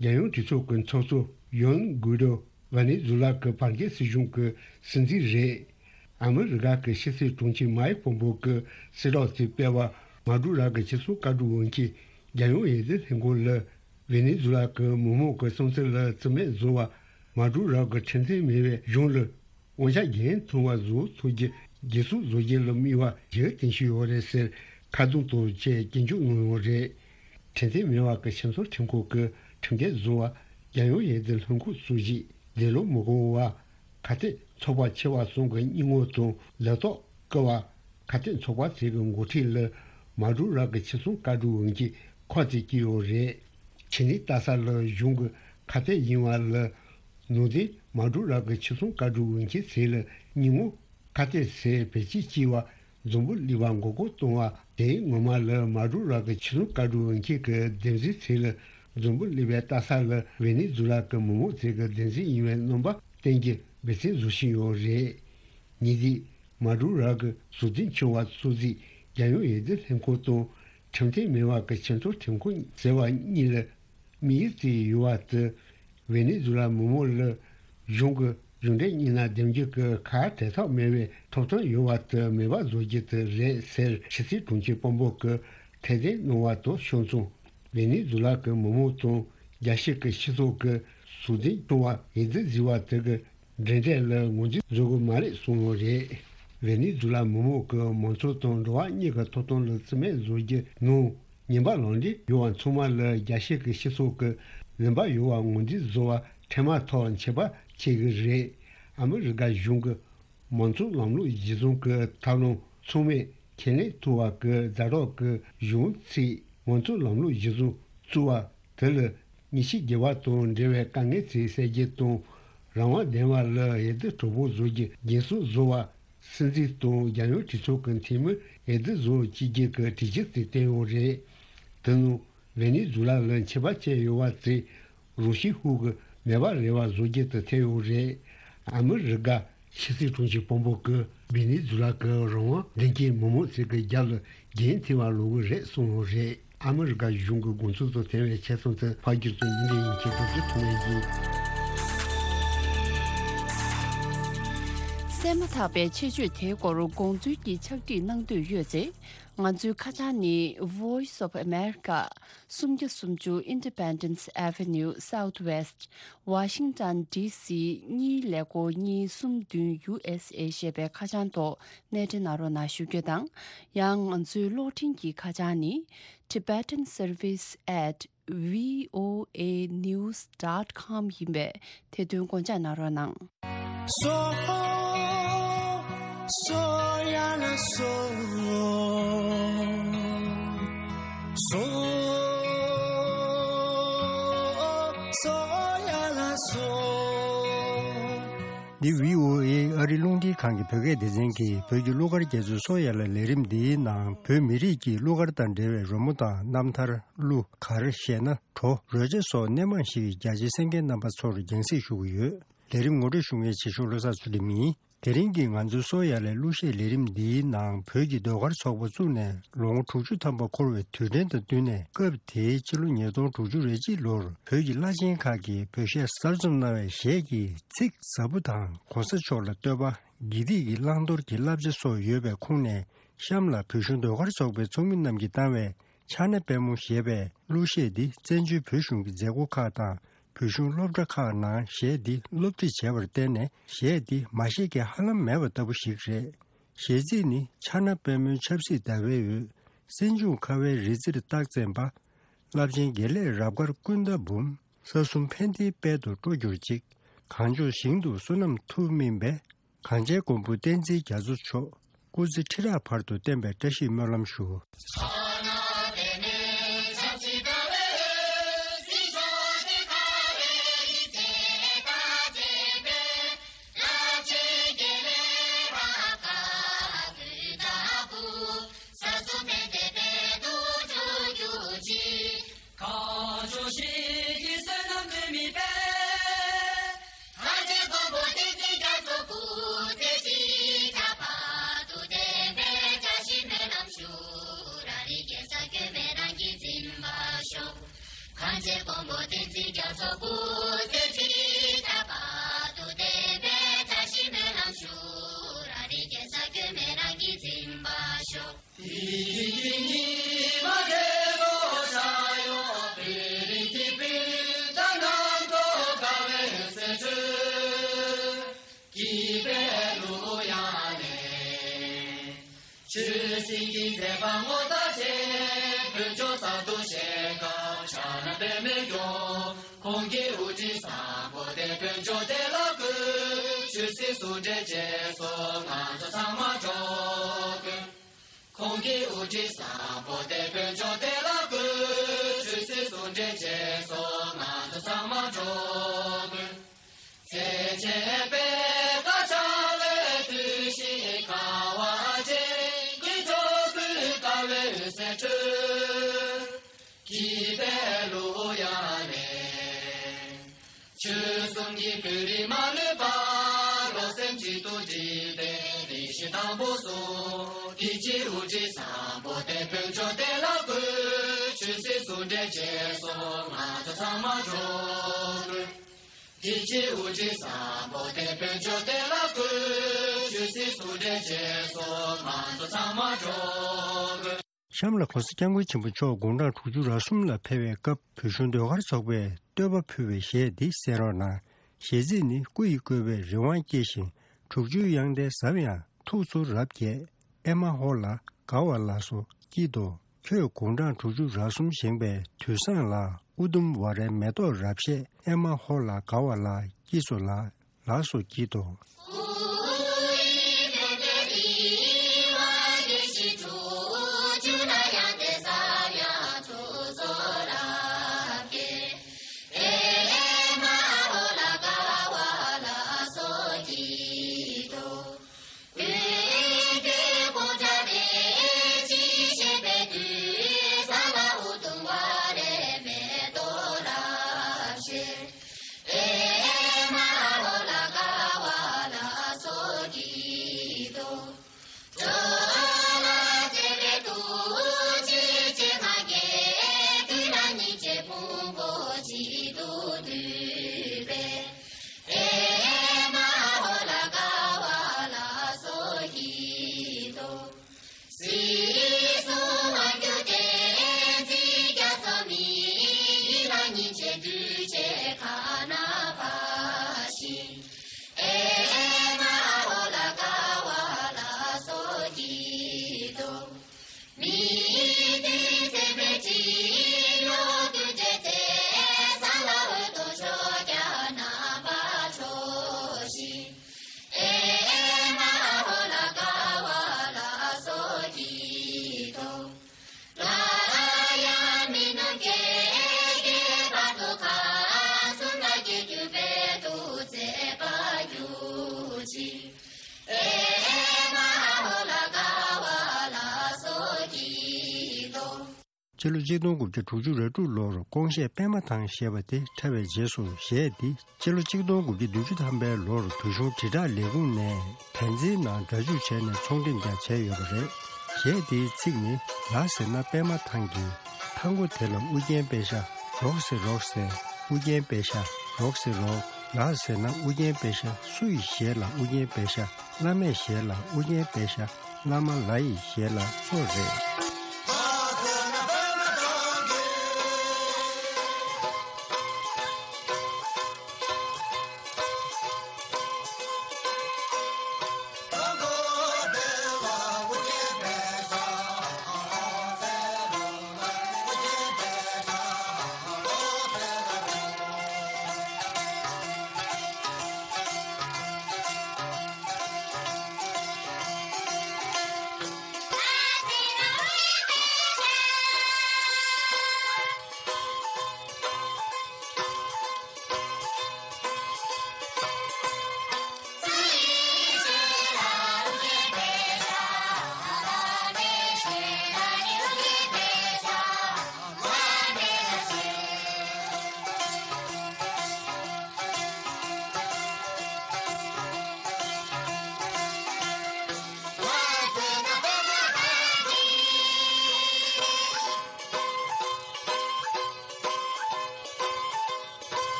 རྒྱལ་ཡོངས་གྲོས་ཚོགས་ཀྱི་ཚོགས་གཙོ་ཡོན་གུའི་ཌོ་ཝེ་ནེ་ཛུ་ལ་གི་བར་བརྒལ་སྲིད་གཞུང་གི་སྲིད་འཛིན་རེད། ཨ་མི་རི་ཀ་གི་ཕྱི་སྲིད་དྲུང་ཆེ་མའེ་ཕོམ་པོ་གི་གསལ་བསྒྲགས་དེ་སྤེལ་བ་མ་ཌུ་ར་གི་ཆེད་སྲུང་བཀའ་སྒྲུབ་འོས་འཁྱེར་ རྒྱལ་ཡོངས་འོས་བསྡུ་ལྷན་ཁང་ལ་ཝེ་ནེ་ཛུ་ལ་གི་མི་མང་གི་བསམ་ཚུལ་ལ་བརྩི་མེད་བཟོ་བ། མ་ཌུ་རོ་གི་ཁྲིམས་མཐུན་མེད་པའི་གཞུང་ལ་དབང་ཆ་འགན་འཐུང་བ་བཟོ་ཐུབ་རྒྱུ་རྒྱུན་སྲུང་བཟོ་རྒྱུ་ལ་དམིགས་པ་ཞིག་བསྟན་བཞིན་ཡོད་རེད་ཟེར་ཁ་རྡུང་དང་བཅས་སྐྱོན་བརྗོད་གནང་ཡོད་རེད། ཁྲིམས་མཐུན་མེད་པ་གི་ཆབ་སྲིད་ཁྲིམས་ཁང་གི་ཁྲིམས་འགལ་བཟོ་བ། རྒྱལ་ཡོངས་འོས་བསྡུ་ལྷན་ཁང་སྲོལ་བཞིན་འདས་ལོ་མི་དགོངས་པ། ཁ་གཏད་ཚོགས་པ་ཆེ་བ་གསུམ་གྱི་སྙན་ངག་དང་ལས་ཐོག་བསྐུལ་བ། ཁ་གཏད་ཚོགས་པ་ཚོས་ཀྱི་འགོ་ཁྲིད་ལ་མ་ཌུ་རོ་གི་ཕྱིར་ཚོང་བཀའ་སྒྲུབ་འོས་འགན་ཁག་ཅིག་བསྐྱིས་ཡོད་རེད། ཁྱེད་ནི་ལྟ་ས་ལ་གཞུང་གི་ཁ་གཏད་ཡིན་པ་ལ་ནུས་ལྡན་མ་ཌུ་རོ་གི་ཕྱིར་ཚོང་བཀའ་སྒྲུབ་འོས་འགན་ཟེར་ལ་སྙན་ངག་ཁ་གཏད་ཟེར་བེད་སྤྱོད་བྱས་པ། འཛམ་བུ་གླིང་པ་མགོ་སྐོར་གཏོང་བ་དེ་ངོ་མ་ལ་མ་ཌུ་རོ་གི་ཕྱིར་ཚོང་བཀའ་སྒྲུབ་འོས་འགན་གྱི་བདེན་རྫུན་ཟེར་ལ་འཛམ་བུ་གླིང་པའི་ལྟ་ས་ལ་ཝེ་ནེ་ཛུ་ལ་གི་མི་མང་ཚོས་ཀྱི་བདེན་རྫུན་ཡིན་པའི་རྣམ་པ་བསྟན་རྒྱུ་འབད་བརྩོན་བཟོ་བཞིན་ཡོད་རེད། ཉིན་དེའི་མ་ཌུ་རོ་གི་ཟུར་འཛིན་ཆུང་བ་གཙོ་འཛིན་རྒྱལ་ཡོངས་འོས་བསྡུ་ལྷན་ཁང་དང་ཁྲིམས་མཐུན་མེད་པ་གི་ཕྱིར་ཚོང་ཁྲིམས་ཁང་ཟེར་བ་གཉིས་ལ་དམིགས་ཡུལ་བརྩིས་ཡོད་པ་དེ་ཝེ་ནེ་ཛུ་ལ་མི་མང་ལ་གཞུང་གི་གཞུང་འབྲེལ་གཉིས་ན་འདེམས་རྒྱུ་གི་ཁ་བྲལ་ཐབས་མེད་པའི་ཐོབ་ཐང་ཡོད་པ་དེ་མེད་པ་བཟོ་རྒྱུ་དེ་རེད་ཟེར་ཕྱི་སྲིད་དྲུང་ཆེ་དཔོན་པོ་གི་ཐད་དེ་གནང་བ་དང་ཕྱོགས་མཚུངས། ཝེ་ནེ་ཛུ་ལ་གི་མི་མང་དང་རྒྱལ་སྤྱི་གི་སྤྱི་ཚོགས་ཀྱི་སྲོག་འཛིན་སྐྱོང་བ་འོས་བསྡུ་བཟོས་པ་དེ་གི་འབྲེལ་འདྲིས་ལ་ངོས་འཛིན་བཟོ་དགོས་མ་རེད་གསུངས་ཡོད་རེད། ཝེ་ནེ་ཛུ་ལ་མི་མང་གི་མང་གཙོ་དང་འགྲོ་བ་མིའི་གི་ཐོབ་ཐང་ལ་བརྩི་མེད་བཟོ་རྒྱུ་ནང་ཉེས་པ་ལངས་འབྲས་ཡོད་པ་ཚང་མ་ལ་རྒྱལ་སྤྱི་གི་སྤྱི་ཚོགས་ཀྱི་ལུང་པ་ཡོད་པ་ངོས་འཛིན་བཟོ་བ་འཕྲལ་མ་ཐག་ཆོད་པ་བྱེད་དགོས་རེད། ཨ་མི་རི་ཀ་གཞུང་གི་མང་གཙོ་ལམ་ལུགས་གཞི་བཟུང་གི་ཐབས་ལམ་ཚང་མས་ཁས་ལེན་ཐུབ་པ་གི་ཛ་དྲག་གི་གཞུང་ཚིག་མང་གཙོ་ལམ་ལུགས་གཞི་བཟུང་བཙུགས་པ་དེ་ལ་མི་ཤི་རྒྱུ་བ་དང་འབྲེལ་བའི་དཀའ་ངལ་ཚིག་སེལ་རྒྱུ་དང་རང་དབང་ལྡན་པ་ལ་འོས་བསྡུ་གྲོགས་པོ་བཟོ་རྒྱུ་རྒྱུན་སྲུང་བཟོ་བ། སྲིད་འཛིན་དང་རྒྱལ་ཡོངས་གྲོས་ཚོགས་ཀྱི་འཐུས་མི་འོས་བསྡུ་བཟོ་བྱེད་རྒྱུ་གི་གྲོས་ཆོད་དེ་བཏོན་ཡོད་རེད། དེ་ནང་ཝེ་ནེ་ཛུ་ལ་ལ་ཆད་པ་བཅད་ཡོད་པ་དེ་རང་ཤུགས་ཧུར་གི་མེད་པ་རེ་བ་བཟོ་རྒྱུ་དེ་ཐེ་ཡོད་རེད། ཨ་མི་རི་ཀ་ཕྱི་སྲིད་དྲུང་ཆེ་དཔོན་པོ་གི་ཝེ་ནེ་ཛུ་ལ་གི་རང་དབང་ལྡན་རྐྱེན་མི་མང་ཚོས་གི་རྒྱབ་ལ་འགན་འཁྱེར་བ་ལོག་གི་རེད་གསུངས་ཡོད་རེད། ཨ་མི་རི་ཀ་གཞུང་གི་དགོངས་ཚུལ་དང་མཐུན་པའི་ཆེད་གསུང་དེ་ཕ་རྒྱུད་དུ་ཡིན་པའི་ཡིན་ཁྱེད་ཚོ་ཚོས་ཐུགས་ལ་གཟིགས། གསན་མ་ཐག་པའི་ཆེད་བརྗོད་དེའི་སྐོར་དགོངས་ཚུལ་གྱི་ཕྱག་བྲིས་གནང་འདོད་ཡོད་ཚེ། ང་ཚོའི་ཁ་བྱང་ནི་Voice of America། སུམ་བརྒྱ་སུམ་ཅུ་Independence Avenue Southwest Washington D C གཉིས་ཀླད་ཀོར་གཉིས་གསུམ་བདུན་U S A ཞེས་པའི་ཁ་བྱང་ཐོག་གནས་འབྲེལ་གནང་རོགས་གནང་ཞུ་རྒྱུ་དང་། ཡང་ང་ཚོའི་གློག་འཕྲིན་གྱི་ཁ་བྱང་ནི་tibetan service at V O A news dot com ཡིན་པས་དེ་དོན་དགོངས་འཇགས་གནང་རོགས་གནང་། སོ། སོ་ཡ་ལ་སོ། སོ། སོ་ཡ་ལ་སོ། འདི་V O A ཨ་རི་རླུང་འཕྲིན་ཁང་གི་བོད་སྐད་སྡེ་ཚན་གྱི་བོད་ཀྱི་གླུ་གར་རྒྱ་མཚོའི་སོ་ཡ་ལ་ལས་རིམ་འདིའི་ནང་བོད་མི་རིགས་ཀྱི་གླུ་གར་དང་འབྲེལ་བའི་རོལ་མོ་དང་རྣམ་ཐར། གླུ། གར། གཞས་སྣ། བྲོ། རོལ་ཆ་སོགས་སྣེ་མང་ཞིག་རྒྱ་ཆེའི་གསན་མཁན་རྣམ་པ་ཚོར་རྒྱང་སྲིང་ཞུ་གི་ཡོད། ལས་རིམ་ངོ་སྤྲོད་ཞུ་མཁན་རྗེ་ཤོག་བློ་བཟང་ཚུལ་ཁྲིམས་ཡིན། དེ་རིང་གི་ང་ཚོའི་སོ་ཡ་ལའི་གླུ་གཞས་ལས་རིམ་འདིའི་ནང་བོད་ཀྱི་ཟློས་གར་ཚོགས་པ་བཙུགས་ནས་ལོ་ངོ་དྲུག་ཅུ་ཐམ་པ་འཁོར་བའི་དུས་དྲན་དང་བསྟུན་ནས་སྐབས་དེའི་ཕྱི་ལོ་ཉིས་སྟོང་དྲུག་ཅུ་རེ་གཅིག་ལོར་བོད་ཀྱི་བླ་ཆེན་ཁག་གིས་བོད་གཞས་གསར་རྩོམ་གནང་བའི་གཞས་ཀྱི་ཚིག་ཟབ་པོ་དང་གོང་ས་མཆོག་ལ་བསྟོད་པ། དགེ་སྡིག་གི་བླང་དོར་གྱི་བསླབ་བྱ་སོགས་ཡོད་པའི་ཁོངས་ནས་གཤམ་ལ་བོད་གཞུང་ཟློས་གར་ཚོགས་པའི་ཚོགས་མི་རྣམས་ཀྱིས་བཏང་བའི་ཕྱག་ན་པད་མོ་ཞེས་པའི་གླུ་གཞས་འདི་བཙན་བྱོལ་བོད་གཞུང་གི་མཛད་སྒོ་ཁག་དང་བོད་གཞུང་སློབ་གྲྭ་ཁག་ནང་གཞས་འདི་སློབ་ཁྲིད་བྱས་པར་བརྟེན་ནས་གཞས་འདི་མ་ཤེས་མཁན་ཧ་ལམ་མེད་པ་ལྟ་བུ་ཞིག་རེད། གཞས་ཚིག་ནི། ཕྱག་ན་པད་མོའི་ཆབ་སྲིད་ཟླ་བའི་འོད། སྲིན་འབྱུང་ཁ་བའི་རི་རྩེར་རྟགས་མཚན་པ། རླབས་ཆེན་དགེ་ལེགས་རབ་དཀར་ཀུན་ད་འབུམ། ས་གསུམ་ཕན་བདེའི་དཔལ་དུ་སྤྲོ་གྱུར་ཅིག། གངས་ལྗོངས་ཞིང་དུ་བསོད་ནམས་མཐུ་སྨིན་པའི། གངས་ཅན་མགོན་པོ་བསྟན་འཛིན་རྒྱ་མཚོ་མཆོག། སྐུ་ཚེ་ཁྲི་ཕྲག་བར་དུ་བརྟན་པའི་བཀྲ་ཤིས་སྨོན་ལམ་ཞུ། གངས་ཅན་མགོན་པོ་བསྟན་འཛིན་རྒྱ་མཚོ་སྐུ་ཚེ་ཁྲི་ཕྲག་བར་དུ་བརྟན་པའི་བཀྲ་ཤིས་སྨོན་ལམ་ཞུ། རང་རིགས་རྒྱལ་ས་སྐྱོན་མེད་རང་གིས་འཛིན་པར་ཤོག། གངས་ཅན་མགོན་པོ་བསྟན་འཛིན་རྒྱ་མཚོ་སྐུ་ཚེ་ཁྲི་ཕྲག་བར་དུ་བརྟན་པའི་བཀྲ་ཤིས་སྨོན་ལམ་ཞུ། རང་རིགས་རྒྱལ་ས་སྐྱོན་མེད་རང་གིས་འཛིན་པར་ཤོག། དེང་གི་མཛད་པ་ངོ་མཚར་ཆེ། བོད་ལྗོངས་ས་རྡོ་ཞལ་དཀར་ཕྱག་ན་པདྨོ་སྐྱོང་། ཁོང་གི་དབུ་ཁྲིད་བཟང་པོ་དེ་བོད་ལྗོངས་བདེ་ལ་བཀོད། ཆོས་སྲིད་ཟུང་འབྲེལ་བཅས་སོགས་ང་ཚོ་ཚང་མ་འགྲོ་དགོས། ཁོང་གི་དབུ་ཁྲིད་བཟང་པོ་དེ་བོད་ལྗོངས་བདེ་ལ་བཀོད། ཆོས་སྲིད་ཟུང་འབྲེལ་བཅས་སོགས་ང་ཚོ་ཚང་མ་འགྲོ་དགོས། ཚེ་ཆེན་པའི་དཀར་ཆག་ལས་དུས་ཤིག་ཁ་བ་ཅན་གྱི་འགྲོ་ཀུན་དཀའ་བའི་ཟས་འཕྲོ། གི་པའི་ལུ་ཡ་ལེ། ཆོལ་གསུམ་གྱི་བོད་རིགས་མ་ལུས་པ། བློ་སེམས་གཅིག་ཏུ་བསྒྲིལ་ཏེ་རེ་ཞིག་དང་པོ་སོ། དེ་ཕྱིར་དབུ་ཁྲིད་བཟང་པོ་དེ་བོད་ལྗོངས་བདེ་ལ་བཀོད། ཆོས་སྲིད་ཟུང་འབྲེལ་བཅས་སོགས་ང་ཚོ་ཚང་མ་འགྲོ་དགོས། དེ་ཕྱིར་དབུ་ཁྲིད་བཟང་པོ་དེ་བོད་ལྗོངས་བདེ་ལ་བཀོད། ཆོས་སྲིད་ཟུང་འབྲེལ་བཅས་སོགས་ང་ཚོ་ཚང་མ་འགྲོ་དགོས། གཤམ་ལ་༸གོང་ས་༸སྐྱབས་མགོན་ཆེན་པོ་མཆོག་དགུང་གྲངས་དྲུག་ཅུ་རེ་གསུམ་ལ་ཕེབས་པའི་སྐབས་བོད་གཞུང་ཟློས་གར་ཚོགས་པས་བསྟོད་པ་ཕུལ་བའི་གཞས་འདི་གསན་རོགས་གནང་། གཞས་ཚིག་ནི། སྐུ་ཡི་བཀོད་པས་རི་དབང་སྐྱེས་ཤིང་། དྲུག་ཅུའི་དབྱངས་ལྡན་ཟབ་ཡངས་ཐུགས་སུ་རབ་རྒྱས། ཨེ་མ་ཧོ་ལ་དགའ་བ་ལ་སོགས་སྐྱིད་དོ། ཁྱོད་དགུང་གྲངས་དྲུག་ཅུ་རེ་གསུམ་བཞེངས་པའི་དུས་བཟང་ལ། ཨུ་དུམ་ཝ་རའི་མེ་ཏོག་རབ་བཞད། ཨེ་མ་ཧོ་ལ་དགའ་བ་ལ་སྐྱིད་སོ་ལ། ལ་སོགས་སྐྱིད་དོ། སྤྱི་ལོ་གཅིག་སྟོང་དགུ་བརྒྱ་དྲུག་ཅུ་རེ་དྲུག་ལོར་ཀོང་ཤེས་པད་མ་ཐང་ཞེས་པ་དེ་འཁྲབ་པའི་རྗེས་སུ་གཞས་འདི་སྤྱི་ལོ་གཅིག་སྟོང་དགུ་བརྒྱ་བདུན་ཅུ་ཐམ་པའི་ལོར་བོད་གཞུང་དྲིལ་བསྒྲགས་ལས་ཁུངས་ནས་བན་ཛིའི་ནང་སྒྲ་འཇུག་བྱས་ནས་ཚོང་འགྲེམས་ཀྱང་བྱས་ཡོད་པ་རེད། གཞས་འདིའི་ཚིག་ནི། ལ་ཟེར་ན་པད་མ་ཐང་གི། ཐང་གོ་དེ་ལ་ཨུ་རྒྱན་པད་ཤ། རོགས་ཟེར་རོགས་ཟེར་ཨུ་རྒྱན་པད་ཤ། རོགས་ཟེར་རོགས། ལ་ཟེར་ན་ཨུ་རྒྱན་པད་ཤ། སུ་ཡི་ཞལ་ལ་ཨུ་རྒྱན་པད་ཤ། བླ་མའི་ཞལ་ལ་ཨུ་རྒྱན་པད་ཤ། བླ་མ་ལ་ཡི་ཞལ་ལ་གཙོ་རེད།